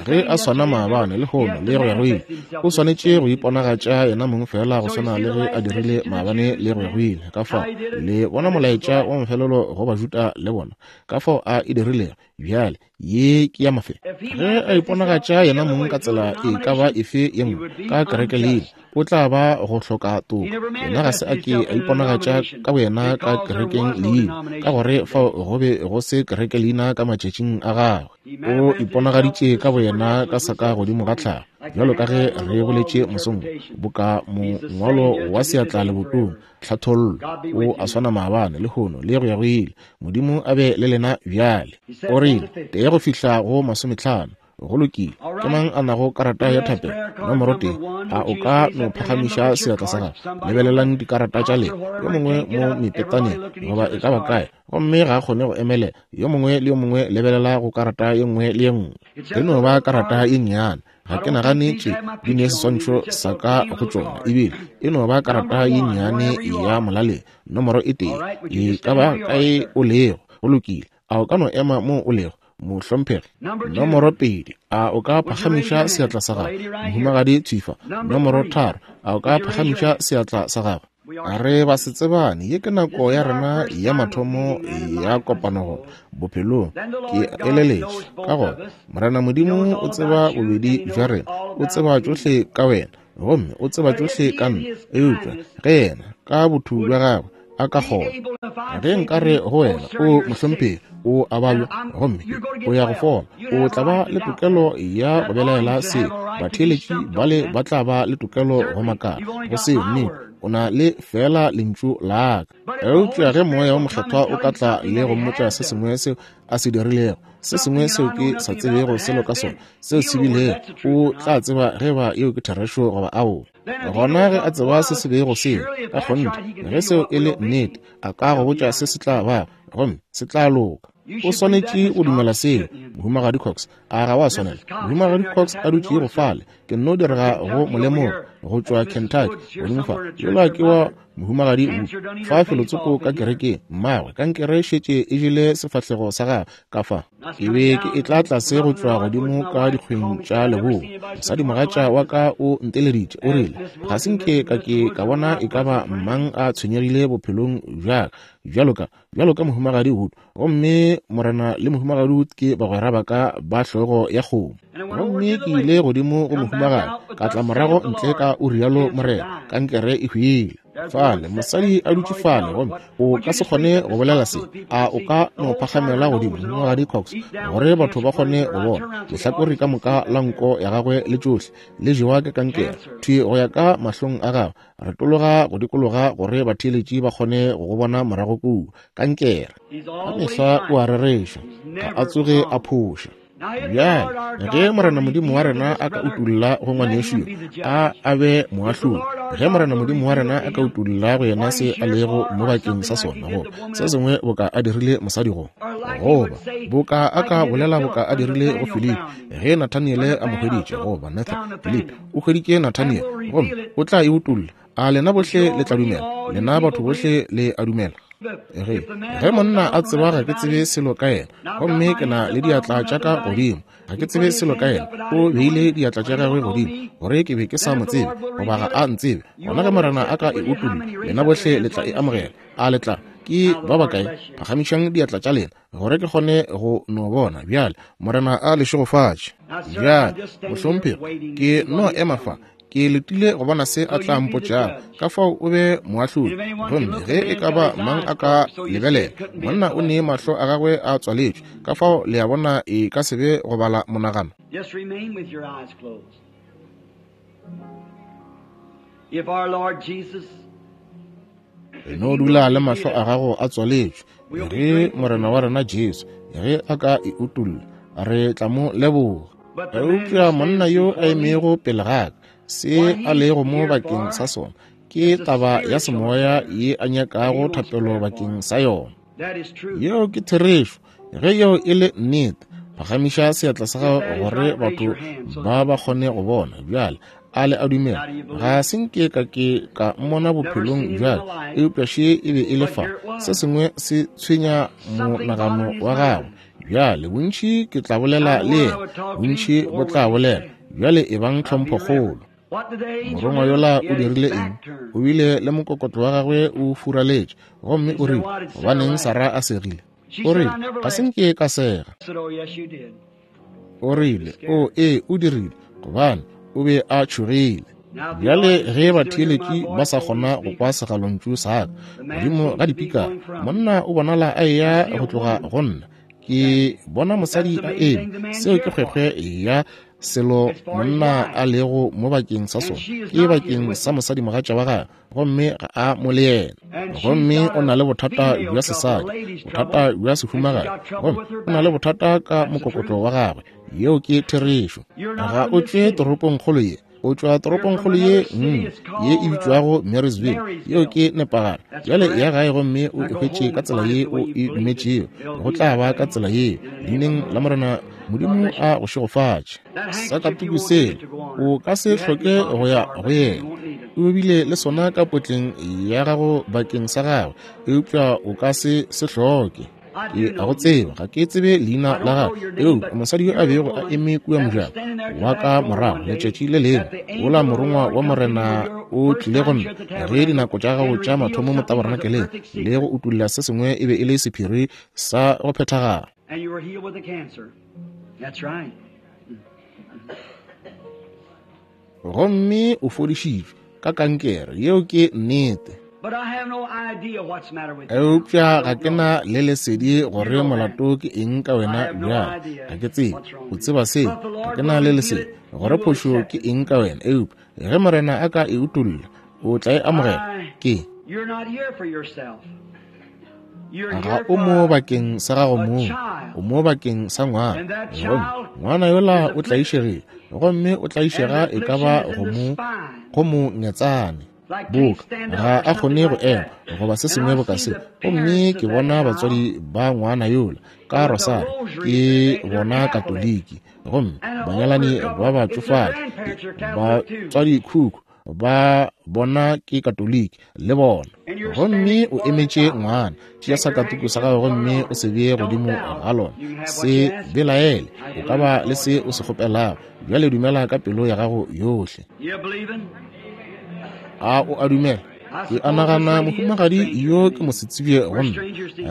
Ge a swana maabane lehono le go ya go ile, o swanetše go iponagatša yena mong fela go swana le ge a dirile maabane le go ya go ile. Ka fao le bona molaetša wa mafelelo go Bajuda le bona, ka fao a e dirilego. Bjale ye ke ya mafelo. Ge a iponagatša yena mong ka tsela e ka ba efe ye nngwe ka kereke leina, o tla ba go hloka toka. Yena ga se a ke a iponagatša ka boyena ka kerekeng leina, ka gore fao go be go se kereke leina ka matšatšing a gagwe. O iponagaditše ka boyena ka saka godimo ga tlhago, bjalo ka ge re boletše mosong, boka mongwalo wa seatla lebotong, tlhathollo. O a swana maabane lehono le go ya go ile. Modimo a be le lena bjale. O rile tee go fihla go masometlhano. Go lokile. Ke mang a nago karata ya thapelo nomoro tee? A o ka no phagamiša seatla sa gago? Lebelelang dikarata tša lena, yo mongwe mo mepetaneng goba e ka ba kae, gomme ga a kgone go emelela. Yo mongwe le yo mongwe lebelela go karata ye nngwe le ye nngwe. E no ba karata ye nnyane, ga ke nagane tše di ne seswantšho sa ka go tšona, ebile e no ba karata ye nnyane ya molaleng nomoro e tee. E ka ba kae o lego? Go lokile. A o ka no ema mo o lego, mohlomphegi? Nomoro pedi, a o ka phagamiša seatla sa gago? Mohumagadi Tswifa. Nomoro tharo, a o ka phagamiša seatla sa gago? Re ba se tsebane, ye ke nako ya rena ya mathomo ya kopano bophelong. Ke eleletše ka gona Morena Modimo o tseba bobedi bja rena, o tseba tšohle ka wena, gomme o tseba tšohle ka nna. Eupša ge yena ka botho bja gagwe a ka kgona, ge nka re go wena, o mohlomphegi, o a babja gomme o ya go fola, o tla ba le tokelo ya go belaela seo. Batheeletši bale ba tla ba le tokelo go makala go seo. Nnete, O na le fela lentšu la ka. Eupša ge Moya wo Mokgethwa o ka tla le go mmotša se sengwe seo a se dirilego, se sengwe seo ke sa tsebego selo ka sona, seo se bilego, o tla tseba ge ba yeo ke therešo goba aowa. Gona ge a tseba se se bego seo, ka kgonthe, ge seo e le nnete, a ka go botša se se tla bago, gomme se tla loka. O swanetše go dumela seo, Mohumagadi Cox. A ga wa swanela? Mohumagadi Cox a dutšego fale, ke nno direga go molemoga go tšwa Kentucky godimo fa. Yola ke wa Mohumagadi Wood fa felotsoko ka kerekeng, mmagwe kankere šetše e jele sefahlego sa gagwe ka fa. Ke be ke etla tlase go tšwa godimo ka dikgweng tša leboa. Mosadimogatša wa ka o nteleditše, o rile, ga se nke ka ke ka bona e ka ba mang a tshwenyegile bophelong bja ka bjalo ka bjalo ka Mohumagadi Wood. Gomme morena le Mohumagadi Wood ke bagwera ba ka ba hlogo ya kgomo. Gomme ke ile godimo go mohumagadi, ka tla morago ntle ka o rialo morena, kankere e hwile. Fale mosadi a dutše fale, gomme o ka se kgone go bolela se. A o ka no phagamela godimo, Mohumagadi Cox, gore batho ba kgone go bona lehlakore ka moka la nko ya gagwe le tšohle le jewa ke kankere thwi go ya ka mahlong a gagwe. Retologa go dikologa gore batheeletši ba kgone go go bona morago kua. Kankere ka mehla o a rereša, ga a tsoge a phoša. Bjale ge Morena Modimo wa rena a ka utulla go ngwanešu yo, a a be moahlodi. Ge Morena Modimo wa rena a ka utulla go yena se a lego mo bakeng sa sona, goba se sengwe boka a dirile mosadi go, goba boka a ka bolela boka a dirile go Filipi ge Nathaniele a mo hweditše, goba Nathan Filipi o hweditše Nathaniele, gomme o tla e utulla. A lena bohle le tla dumela? Lena batho bohle le a dumela? Ge ge monna a tseba ga ke tsebe selo ka yena, gomme ke na le diatla tša ka godimo, ga ke tsebe selo ka yena, o beile diatla tša gagwe godimo gore ke be ke sa mo tsebe goba ga a ntsebe, gona ge Morena a ka e utulla, lena bohle le tla e amogela. A le tla? Ke ba bakae? Phagamišang diatla tša lena gore ke kgone go no bona. Bjale Morena a le šegofatše. Bjale mohlomphegi, ke no ema fa, ke letile go bona se a tla mpotšago, ka fao o be moahlodi. Gomme ge e ka ba mang a ka lebelela, monna o ne mahlo a gagwe a tswaletšwe, ka fao le a bona e ka se be go bala monagano. Just remain with your eyes closed. If our Lord Jesus No dula le mahlo a gago a tswaletšwe. Ge Morena wa rena Jesu ge a ka e utulla, re tla mo leboga. Eupša monna yo a emego pele ga ka, se a lego mo bakeng sa sona ke taba ya semoya ye a nyakago thapelo bakeng sa yona. Yeo ke therešo. Ge yeo e le nnete, phagamiša seatla sa gago gore batho ba ba kgone go bona. Bjale a le a dumela? Ga se nke ka ke ka mmona bophelong bjale, eupša še e be e le fa. Se sengwe se tshwenya monagano wa gagwe. Bjale bontši ke tla bolela le yena, bontši bo tla bolela. Bjale e bang tlhomphokgolo. Morongwa yola o dirile eng? O bile le mokokotlo wa gagwe o furaletše, gomme o rile, gobaneng Sara a segile? O rile, ga se nke ka sega. O rile, o ee, o dirile, gobane o be a tšhogile. Bjale ge batheeletši ba sa kgona go kwa segalontšu sa ka godimo ga dipikara, monna o bonala a eya go tloga go nna. Ke bona mosadi a eme, seo ke kgwekgwe ya selo monna a lego mo bakeng sa sona, ke bakeng sa mosadimogatša wa gagwe, gomme ga a mo le yena. Gomme o na le bothata bja sesadi, bothata bja sehumagadi, gomme o na le bothata ka mokokotlo wa gagwe. Yeo ke therešo. Ga o tšwe toropongkgolo ye, o tšwa toropongkgolo ye nngwe ye e bitšwago Marysville. Yeo ke nepagalo. Bjale ya gae gomme o e hwetše ka tsela ye o e dumetšego, go tla ba ka tsela yeo. Leineng la Morena Modimo a go šegofatše. Sakatuku sela o ka se hloke go ya go yena. O bile le sona ka potleng ya gago bakeng sa gagwe, eupša o ka se se hloke. Ke a go tseba, ga ke tsebe leina la gagwe, eupša mosadi yo a bego a eme kua mojako wa ka morago letšatši le lengwe, wola morongwa wa Morena o tlile go nna ge dinako tša gago tša mathomo mo tabernakeleng le go utulla se sengwe e be e le sephiri sa go phethagala. And you were healed with the cancer. That's right. Gomme o fodišitšwe ka kankere. Yeo ke nnete. But I have no idea what's the matter with you. Eupša ga ke na le lesedi gore molato ke eng ka wena bjale. Ga ke tsebe. O tseba seo. Ga ke na le lesedi gore phošo ke eng ka wena. Eupša ge Morena a ka e utulla, O tla e amogela. Ke ga o mo bakeng sa gago mong, o mo bakeng sa ngwana. Gomme ngwana yola o tlaišegile, gomme o tlaišega e ka ba go mo go mo ngetsane boka ga a kgone go ema goba se sengwe boka se. Gomme ke bona batswadi ba ngwana yola ka rosari, ke bona Katoliki, gomme banyalani ba batšofadi batswadi khukhu ba bona ke Katoliki le bona. Gomme o emetše ngwana. Tšea sakatuku sa gago gomme o se bee godimo ga lona. Se belaele, o ka ba le se o se kgopelago. Bjale dumela ka pelo ya gago yohle. A o a dumela? Ke a nagana mohumagadi yo ke mosetsebje gomme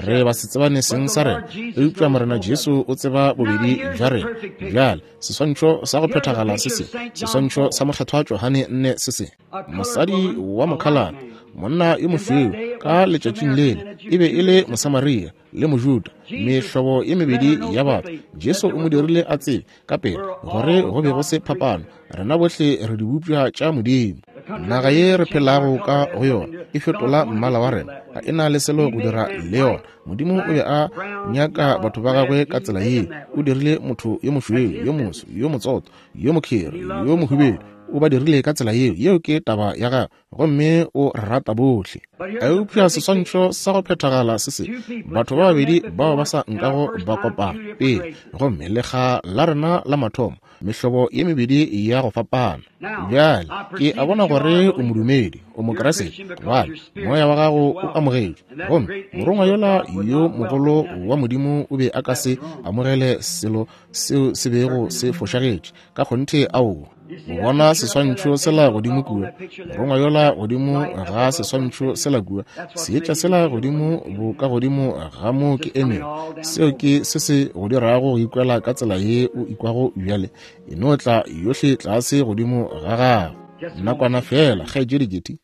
re ba se tsebane seng sa rena, eupša Morena Jesu o tseba bobedi bja rena. Bjale seswantšho sa go phethagala se se, seswantšho sa mokgethwa Johane nne se se. Mosadi wa mokhalate, monna yo mošweu, ka letšatšing lele e be e le Mosamaria le Mojuda, mehlobo ye mebedi ya batho. Jesu o mo dirile a tsebe ka pele gore go be go se phapano, rena bohle re dibopša tša Modimo. Naga ye re phelago ka go yona e fetola mmala wa rena, ga e na le selo go dira le yona. Modimo o be a nyaka batho ba gagwe ka tsela yeo. O dirile motho yo mošweu, yo moso, yo motsoto, yo mokheri, yo mohubedu. O ba dirile ka tsela yeo. Yeo ke taba ya gagwe, gomme o rata bohle. Eupša seswantšho sa go phethagala se se, batho ba babedi bao ba sa nkago ba kopana pele, gomme lekga la rena la mathomo, mehlobo ye mebedi ya go fapana. Bjale ke a bona gore o modumedi, o Mokriste, gobane moya wa gago o amogetšwe, gomme morongwa yola yo mogolo wa Modimo o be a ka se amogele selo seo se bego se fošagetše. Ka kgonthe, aowa. O bona seswantšho sela godimo kua, morongwa yola godimo ga seswantšho sela kua, seetša sela godimo bo ka godimo ga mo ke emego. Seo ke se se go dirago go ikwela ka tsela ye o ikwago bjale. E no tla yohle tlase godimo ga gago. Nakwana fela, kgaetšedi Getty.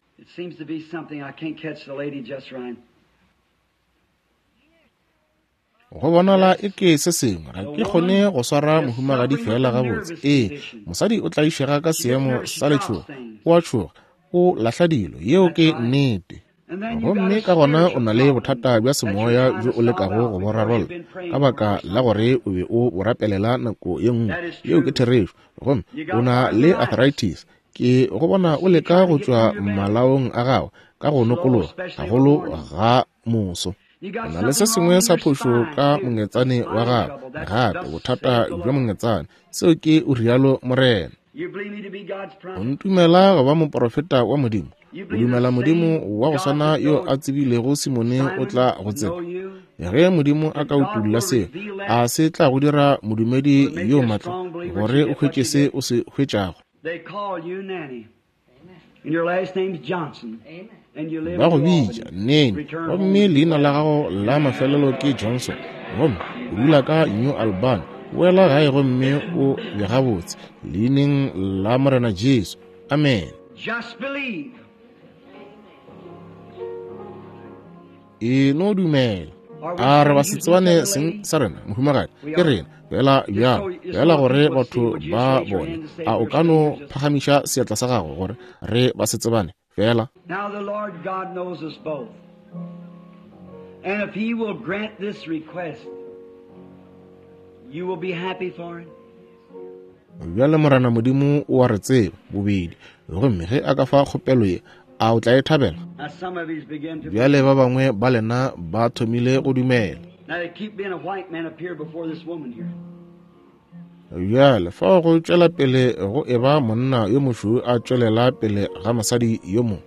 Go bonala e ke se sengwe, ga ke kgone go swara mohumagadi fela gabotse. Ee, mosadi o tlaišega ka seemo sa letšhogo, o a tšhoga, o lahla dilo. Yeo ke nnete. Gomme ka gona o na le bothata bja semoya bjo o lekago go bo rarolla ka baka la gore o be o bo rapelela nako ye nngwe. Yeo ke therešo. Gomme o na le arthritis. Ke go bona o leka go tšwa malaong a gago ka go nokologa gagolo ga moso. O na le se sengwe sa phošo ka mongetsane wa gago, gape bothata bja mongetsane. Seo ke o rialo Morena. O ntumela go ba moprofeta wa Modimo? O dumela Modimo wa go swana yo a tsebilego Simone o tla go tseba? Ge Modimo a ka utolla seo, a se tla go dira modumedi yo matla gore o hwetše se o se hwetšago? Ba go bitša Nene, gomme leina la gago la mafelelo ke Johnson, gomme o dula ka New Albany. Boela gae gomme o be gabotse, leineng la Morena Jesu. Amen. E no dumela. A re ba se tsebane seng sa rena, mohumagadi? Ke rena fela bjalo, fela gore batho ba bone. A o ka no phagamiša seatla sa gago gore re ba se tsebane fela? Now the Lord God knows us both. And if he will grant this request, you will be happy for it. Bjale Morena Modimo o a re tseba bobedi, gomme ge a ka fa kgopelo ye, a o tla e thabela? Bjale ba bangwe ba lena ba thomile go dumela. Bjale fao go tšwela pele go e ba monna yo mošweu a tšwelela pele ga mosadi yo mongwe.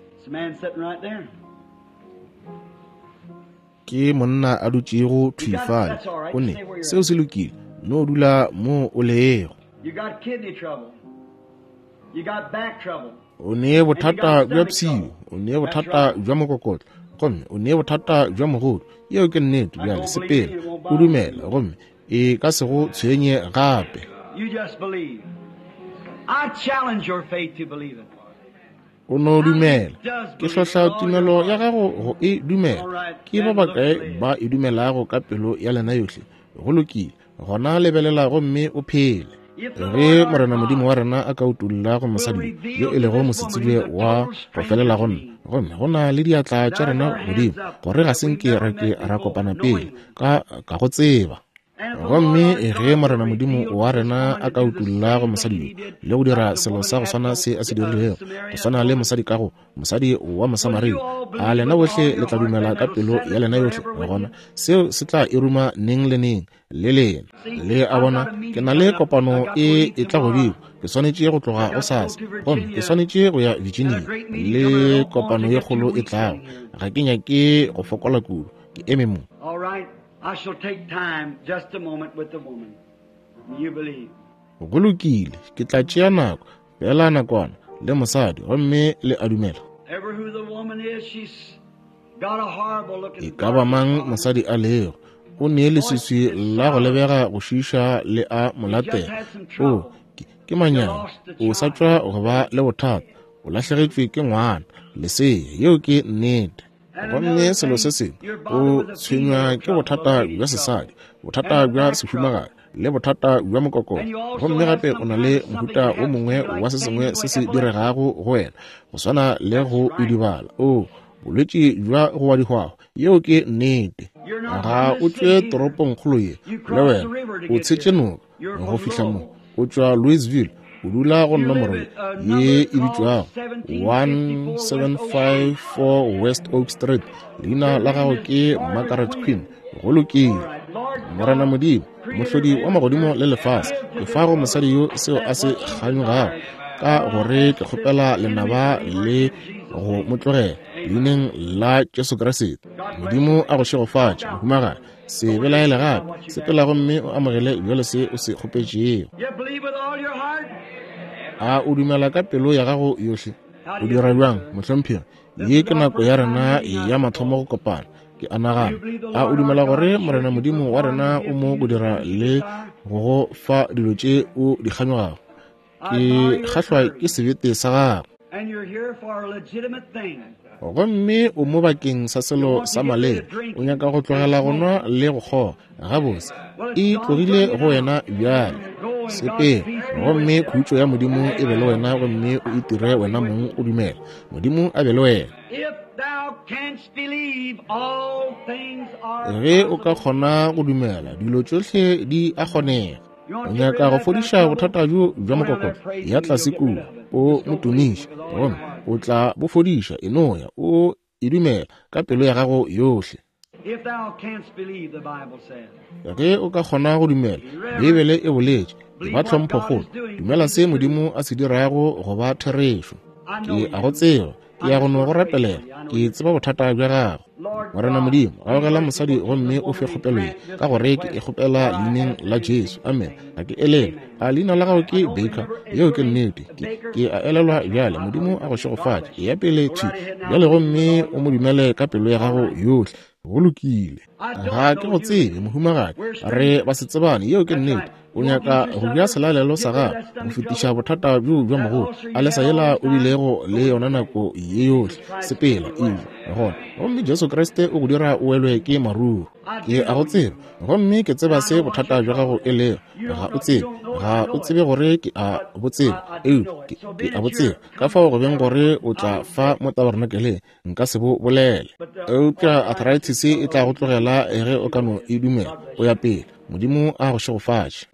Ke monna a dutšego thwi fale. O ne seo se lokile, no dula mo o lego. O ne bothata bja pshio, o ne bothata bja mokokotlo, gomme o ne bothata bja mogodu. Yeo ke nnete. Bjale sepela o dumela, gomme e ka se go tshwenye gape. O no dumela. Ke hlohla tumelo ya gago go e dumela. Ke ba bakae ba e dumelago ka pelo ya lena yohle? Go lokile, gona lebelela gomme o phele. Ge Morena Modimo wa rena a ka utolla go mosadi yo e lego mosetsebje wa go felela go nna, gomme go na le diatla tša rena godimo, gore ga se nke ra ke ra kopana pele ka ka go tseba. Gomme ge Morena Modimo wa rena a ka utolla go mosadi yo le go dira selo sa go swana se a se dirilego, go swana le mosadi ka go mosadi wa Mosamaria, a lena bohle le tla dumela ka pelo ya lena yohle? Gona seo se tla e ruma neng le neng le lena. Le a bona, ke na le kopano e e tla godimo, ke swanetše go tloga gosasa, gomme ke swanetše go ya Virginia le kopano ye kgolo e tlago. Ga ke nyake go fokola kudu, ke eme mo. I shall take time just a moment with the woman. You believe. Go lokile, ke tla tšea nako fela nakwana le mosadi, gomme le a dumela. Ever who the woman is, she's got a horrible looking. E ka ba mang mosadi a lego, o ne leswiswi la go lebega go šiiša le a molatela. O ke manyami, o sa tšwa go ba le bothata, o lahlegetšwe ke ngwana, lesea. Yeo ke nnete. Gomme selo se sengwe, o tshwenywa ke bothata bja sesadi, bothata bja sehumagadi, le bothata bja mokokotlo. Gomme gape o na le mohuta o mongwe wa se sengwe se se diregago go wena, go swana le go idibala, o bolwetši bja go wa dihwahwa. Yeo ke nnete. Ga o tšwe toropongkgolo ye le wena, o tshetše noka go fihla mo. O tšwa Louisville, o dula go nomoro ye e bitšwago one seven five four West Oak Street. Leina la gago ke Margaret Quinn. Go lokile. Morena Modimo, mohlodi wa magodimo le lefase, ke fa go mosadi yo seo a se kganyogago, ka gore ke kgopela lenaba le go mo tlogela leineng la Jesu Kriste. Modimo a go šegofatše, mohumagadi. Se belaele gape, sepela gomme o amogele bjalo se o se kgopetšego. A o dumela ka pelo ya gago yohle? O dira bjang, mohlomphegi? Ye ke nako ya rena ya mathomo go kopana, ke a nagana. A o dumela gore Morena Modimo wa rena o mo go dira le go go fa dilo tše o di kganyogago? Ke kgahlwa ke sebete sa gago. Gomme o mo bakeng sa selo sa maleba, o nyaka go tlogela go nwa le go kgoga. Gabotse, e tlogile go wena bjale. Sepela, gomme khutšo ya Modimo e be le wena, gomme o itire wena mong o dumela. Modimo a be le wena. Ge o ka kgona go dumela, dilo tšohle di a kgonega. O nyaka go fodiša bothata bjo bja mokokotlo, ya tlase kua, o mo tumiše, gomme o tla bo fodiša. E no ya, o e dumela ka pelo ya gago yohle. Ge o ka kgona go dumela, Beibele e boletše, e ba tlhomphokgolo, dumela se Modimo a se dirago go ba therešo. Ke a go tseba, ke ya go no go rapelela, ke tseba bothata bja gago. Morena Modimo, gaogela mosadi gomme o fe kgopelo ye, ka gore ke e kgopela leineng la Jesu. Amen. Ga ke elelwe. A leina la gago ke Baker? Yeo ke nnete. Ke, ke a elelwa bjale. Modimo a go šegofatše. Eya pele thwi bjale gomme o mo dumele ka pelo ya gago yohle. Go lokile. Ga ke go tsebe, mohumagadi, re ba se tsebane. Yeo ke nnete. O nyaka go bja selalelo sa gago go fetiša bothata bjo bja mogolo a lesa yela o bilego le yona nako ye yohle. Sepela eja gona, gomme Jesu Kriste o go dira o welwe ke maruru. Ke a go tseba, gomme ke tseba se bothata bja gago e lego. Ga o tsebe, ga o tsebe gore ke a bo tseba, eupša ke, ke a bo tseba. Ka fao go beng gore o tla fa mo tabernakeleng, nka se bo bolele. Eupša arthritis e tla go tlogela ge o ka no e dumela. O ya pele. Modimo a go šegofatše.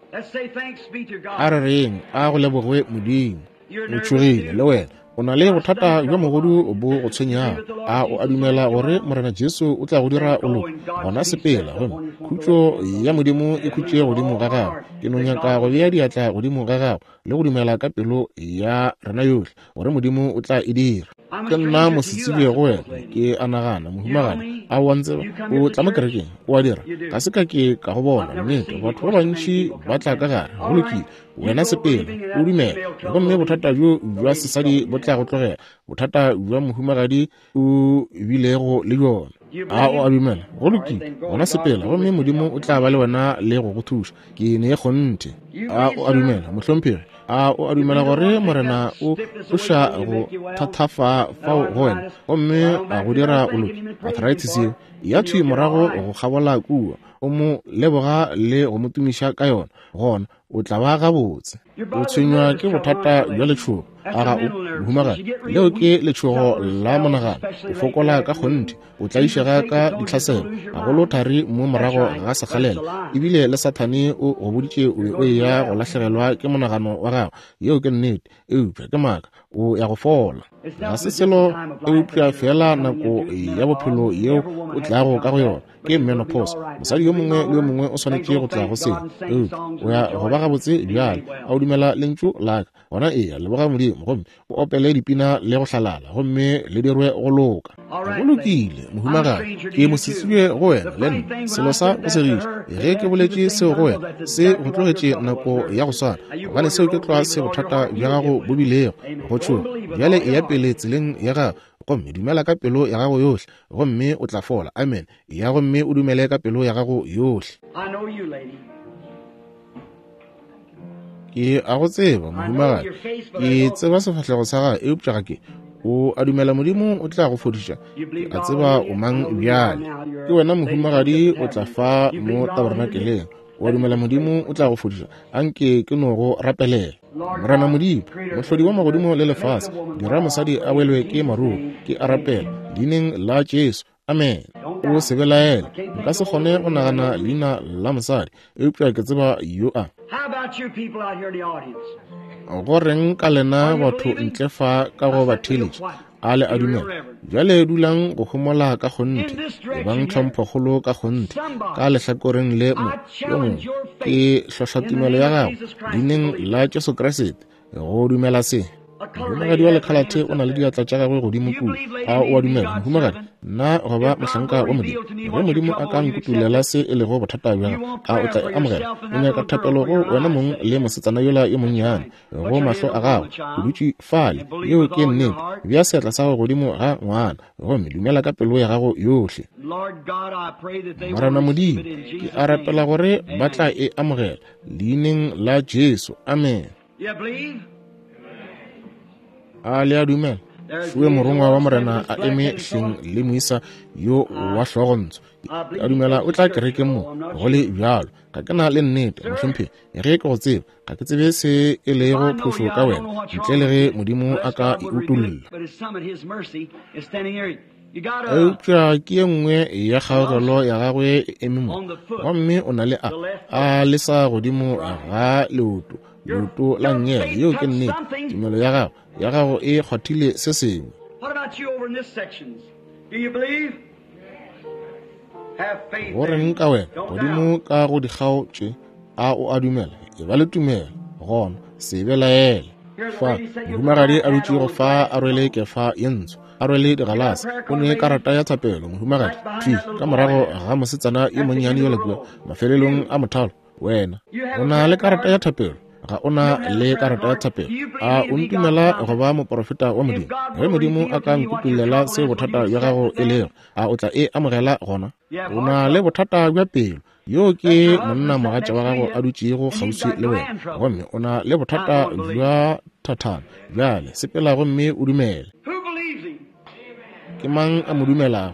A re reng a go lebogwe Modimo. O tšhogile le wena, o na le bothata bja mogodu bo go tshwenyago. A o a dumela gore Morena Jesu o tla go dira o loke? Gona sepela, gomme khutšo ya Modimo e khutše godimo ga gago. Ke no nyaka go bea diatla godimo ga gago le go dumela ka pelo ya rena yohle gore Modimo o tla e dira. Ke nna mosetsebje go wena, ke a nagana, mohumagadi. A o a ntseba? O tla mo kerekeng, o a dira. Ga se ka ke ka go bona, nnete. Batho ba bantši ba tla ka gare. Go lokile, wena sepela, o dumela, gomme bothata bjo bja sesadi bo tla go tlogela, bothata bja mohumagadi o bilego le bjona. A o a dumela? Go lokile, gona sepela, gomme Modimo o tla ba le wena le go go thuša. Ke ne kgonthe. A o a dumela, mohlomphegi? A o a dumela gore Morena o tloša go thathafa fao go wena, gomme a go dira o loke? Arthritis yeo ya thwi morago go kgabola kua, o mo leboga le go mo tumiša ka yona, gona O tla ba gabotse. O tshwenywa ke bothata bja letšhogo. A ga o, mohumagadi? Leo ke letšhogo la monagano. O fokola ka kgonthe, o tlaišega ka ditlhaselo, gagolo thari mo morago ga sekgalela. Ebile le Sathane o go boditše o be o eya go lahlegelwa ke monagano wa gago. Yeo ke nnete, eupša ke maaka. O ya go fola. Ga se selo eupša fela nako ya bophelo yeo o tlago ka go yona. Ke menopause. Mosadi yo mongwe le yo mongwe o swanetše go tla go se. Eupša o ya go ba gabotse bjale. A o dumela lentšu la ka? Gona eya, leboga Modimo, gomme o opele dipina le go hlalala, gomme le dirwe go loka. Go lokile, mohumagadi. Ke mosetsebje go wena le nna. Selo sa go segiša, ge ke boletše seo go wena, se go tlogetše nako ya go swana, gobane seo ke tlwa se bothata bja gago bo bilego go tšhoga. Bjale eya pele tseleng ya gago, gomme dumela ka pelo ya gago yohle, gomme o tla fola. Amen. Eya gomme o dumele ka pelo ya gago yohle. Ke a go tseba, mohumagadi. Ke tseba sefahlego sa gago, eupša ga ke. O a dumela Modimo o tla go fodiša? Ke a tseba o mang bjale. Ke wena mohumagadi, o tla fa mo tabernakeleng. O a dumela Modimo o tla go fodiša? Anke ke no go rapelela. Morena Modimo, mohlodi wa magodimo le lefase, dira mosadi a welwe ke maruo. Ke a rapela leineng la Jesu. Amen. O se belaele. Nka se kgone go nagana leina la mosadi, eupša ke tseba yo a. Go reng ka lena batho ntle fa ka go batheeletši? A le a dumela? Bjale dulang go homola ka kgonthe, ebang tlhomphokgolo ka kgonthe. Ka lehlakoreng le mo yo mongwe, ke hlohla tumelo ya gago leineng la Jesu Kriste go dumela se. Mohumagadi wa lekhalathe o na le diatla tša gagwe godimo kua. A o a dumela, mohumagadi? Nna go ba mohlanka wa Modimo, ge Modimo a ka nkutulela se e lego bothata bja gago, a o tla e amogela? O nyaka thapelo go wena mong le mosetsana yola yo monnyane go mahlo a gago. O dutše fale. Yeo ke nnete. Bea seatla sa gago godimo ga ngwana, gomme dumela ka pelo ya gago yohle. Morena Modimo, ke a rapela gore ba tla e amogela leineng la Jesu. Amen. A le a dumela? Šue morongwa wa Morena a eme hleng le moisa yo wa hlogontsho. Ke a dumela o tla kerekeng mo. Go le bjalo, ga ke na le nnete, mohlomphegi. Ge ke go tseba, ga ke tsebe se e lego phošo ka wena, ntle le ge Modimo a ka e utolla. Eupša ke ye nngwe ya kgaogelo ya gagwe e eme mo, gomme o na le a a lesa godimo ga leoto, leoto la nngele. Yeo ke nnete. Tumelo ya gago ya gago e kgwathile se sengwe. Go reng ka wena godimo ka go dikgao tše? A o a dumela? E ba le tumelo gona, se belaele. Fa mohumagadi a dutšego fa a rwele kefa ye ntsho, a rwele digalase, o ne karata ya thapelo. Mohumagadi thwi ka morago ga mosetsana yo monnyane yola kua mafelelong a mothalo. Wena o na le karata ya thapelo? Ga o na le karata ya thapelo? A o ntumela go ba moporofeta wa Modimo? Ge Modimo a ka nkutulela se bothata bja gago e lego, a o tla e amogela gona? O na le bothata bja pelo. Yo ke monna mogatša wa gago a dutšego kgauswi le wena, gomme o na le bothata bja thathana. Bjale sepela gomme o dumele. Ke mang a mo dumelago?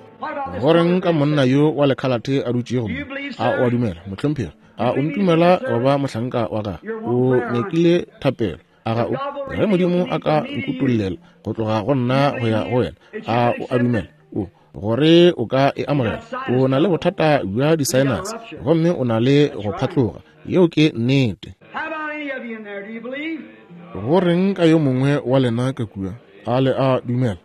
Go reng ka monna yo wa lekhalathe a dutšego mo? A o a dumela, mohlomphegi? A o ntumela go ba mohlanka wa gagwe? O nyakile thapelo, a ga o? Ge Modimo a ka nkutollela go tloga go nna go ya go wena, a o a dumela o gore o ka e amogela? O na le bothata bja di-sinus, gomme o na le go phatloga. Yeo ke nnete. Go reng ka yo mongwe wa lena ka kua? A le a dumela?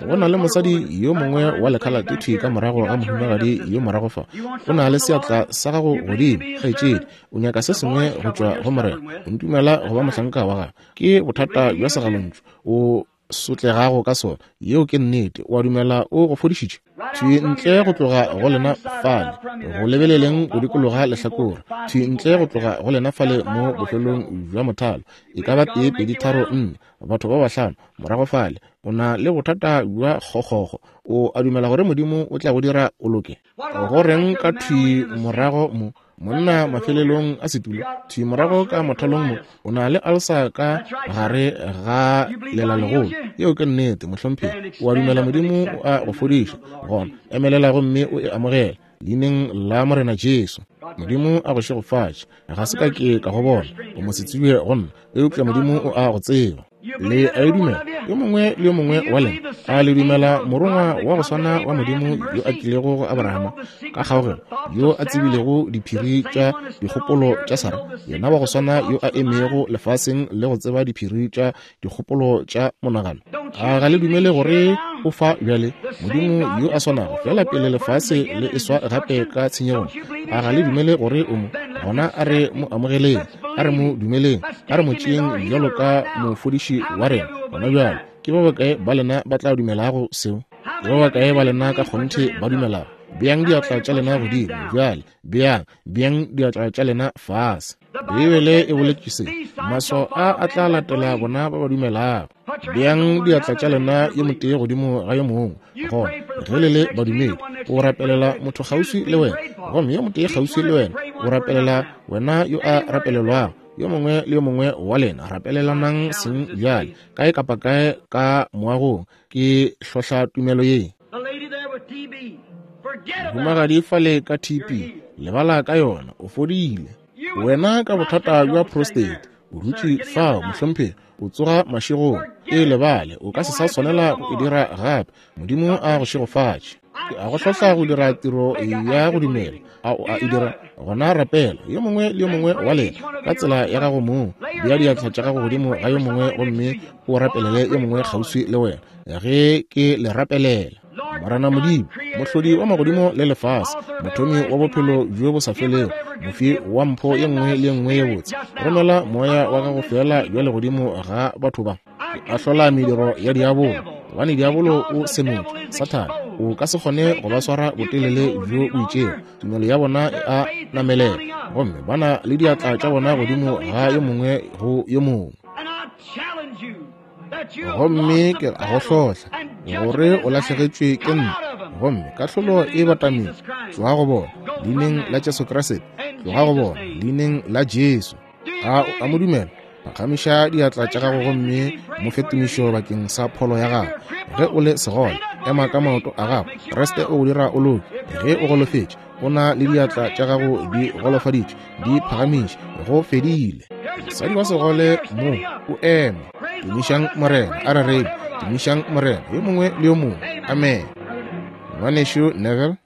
Go na le mosadi yo mongwe wa lekhalate thwi ka morago ga mohumagadi yo morago fa. O na le seatla sa gago godimo, kgaetšedi. O nyaka se sengwe go tšwa go Morena. O ntumela go ba mohlanka wa gagwe? Ke bothata bja segalontšu o sotlegago ka sona. Yeo ke nnete. O a dumela o go fodišitše? Thwi ntle go tloga go lena fale, go lebeleleng go dikologa lehlakore. Thwi ntle go tloga go lena fale mo bofelong bja mothalo, e ka ba tee, pedi, tharo, nne, batho ba bahlano morago fale. O na le bothata bja kgokgogo. O a dumela gore Modimo o tla go dira o loke? Go reng ka thwi morago mo, monna mafelelong a setulo, thwi morago ka mothalong mo, o na le alsa ka gare ga lelalegolo. Yeo ke nnete, mohlomphegi. O a dumela Modimo o a go fodiša? Gona emelela gomme o e amogele leineng la Morena Jesu. Modimo a go šegofatše. Ga se ka ke ka go bona, o mo se tsebe go nna, eupša Modimo o a go tseba. Le a e dumela, yo mongwe le yo mongwe wa lena? A le dumela morongwa wa go swana wa Modimo yo a tlilego go Abrahama ka kgaogelo, yo a tsebilego diphiri tša dikgopolo tša Sara, yena wa go swana yo a emego lefaseng le go tseba diphiri tša dikgopolo tša monagano? A ga le dumele gore o fa bjale? Modimo yo a swanago fela pele lefase le eswa gape ka tshenyegong, a ga le dumele gore o mo? Gona a re mo amogeleng, a re mo dumeleng, a re mo tšeeng bjalo ka mofodiši wa rena gona bjalo. Ke ba bakae ba lena ba tla dumelago seo? Ke ba bakae ba lena ka kgonthe ba dumelago? Beang diatla tša lena godimo bjale, beang, beang diatla tša lena fase. Beibele e boletše se, maswao a a tla latela bona ba ba dumelago. Beang diatla tša lena yo motee godimo ga yo mongwe. Gona ge le le badumedi, o rapelela motho kgauswi le wena, gomme yo motee kgauswi le wena o rapelela wena yo a rapelelwago. Yo mongwe le yo mongwe wa lena rapelelanang seng bjale, kae kapa kae ka moagong. Ke hlohla tumelo ye. Mohumagadi fale ka T B, lebala ka yona, o fodile. Wena ka bothata bja prostate, o dutše fao, mohlomphegi, o tsoga mašegong. E lebale, o ka se sa swanela go e dira gape. Modimo a go šegofatše. Ke a go hlohla go dira tiro ya go dumela. A o a e dira? Gona rapela, yo mongwe le yo mongwe wa lena ka tsela ya gago mong. Bea diatla tša gago godimo ga yo mongwe gomme o rapelele yo mongwe kgauswi le wena ge ke le rapelela. Morena Modimo, mohlodi wa magodimo le lefase, mothomi wa bophelo bjo bo sa felego, mofi wa mpho ye nngwe le ye nngwe ye botse, romela moya wa gago fela bjale godimo ga batho ba. Ke ahlola mediro ya diabolo, gobane diabolo o senotšwe. Sathane o ka se kgone go ba swara botelele bjo bo itšego. Tumelo ya bona e a namelela, gomme ba na le diatla tša bona godimo ga yo mongwe go yo mongwe. Gomme ke a go hlohla gore o lahlegetšwe ke nna, gomme kahlolo e batamile. Tloga go bona leineng la Jesu Kriste, tloga go bona leineng la Jesu. A o a mo dumela? Phagamiša diatla tša gago gomme mo fe tumišo bakeng sa pholo ya gago. Ge o le segole, ema ka maoto a gago. Kriste o go dira o loke. Ge o golofetše, o na le diatla tša gago di golofaditšwe, di phagamiše, go fedile. Mosadi wa segole mo o eme. Tumišang Morena, a re reng, tumišang Morena, yo mongwe le yo mongwe. Amen. Ngwanešu Neville.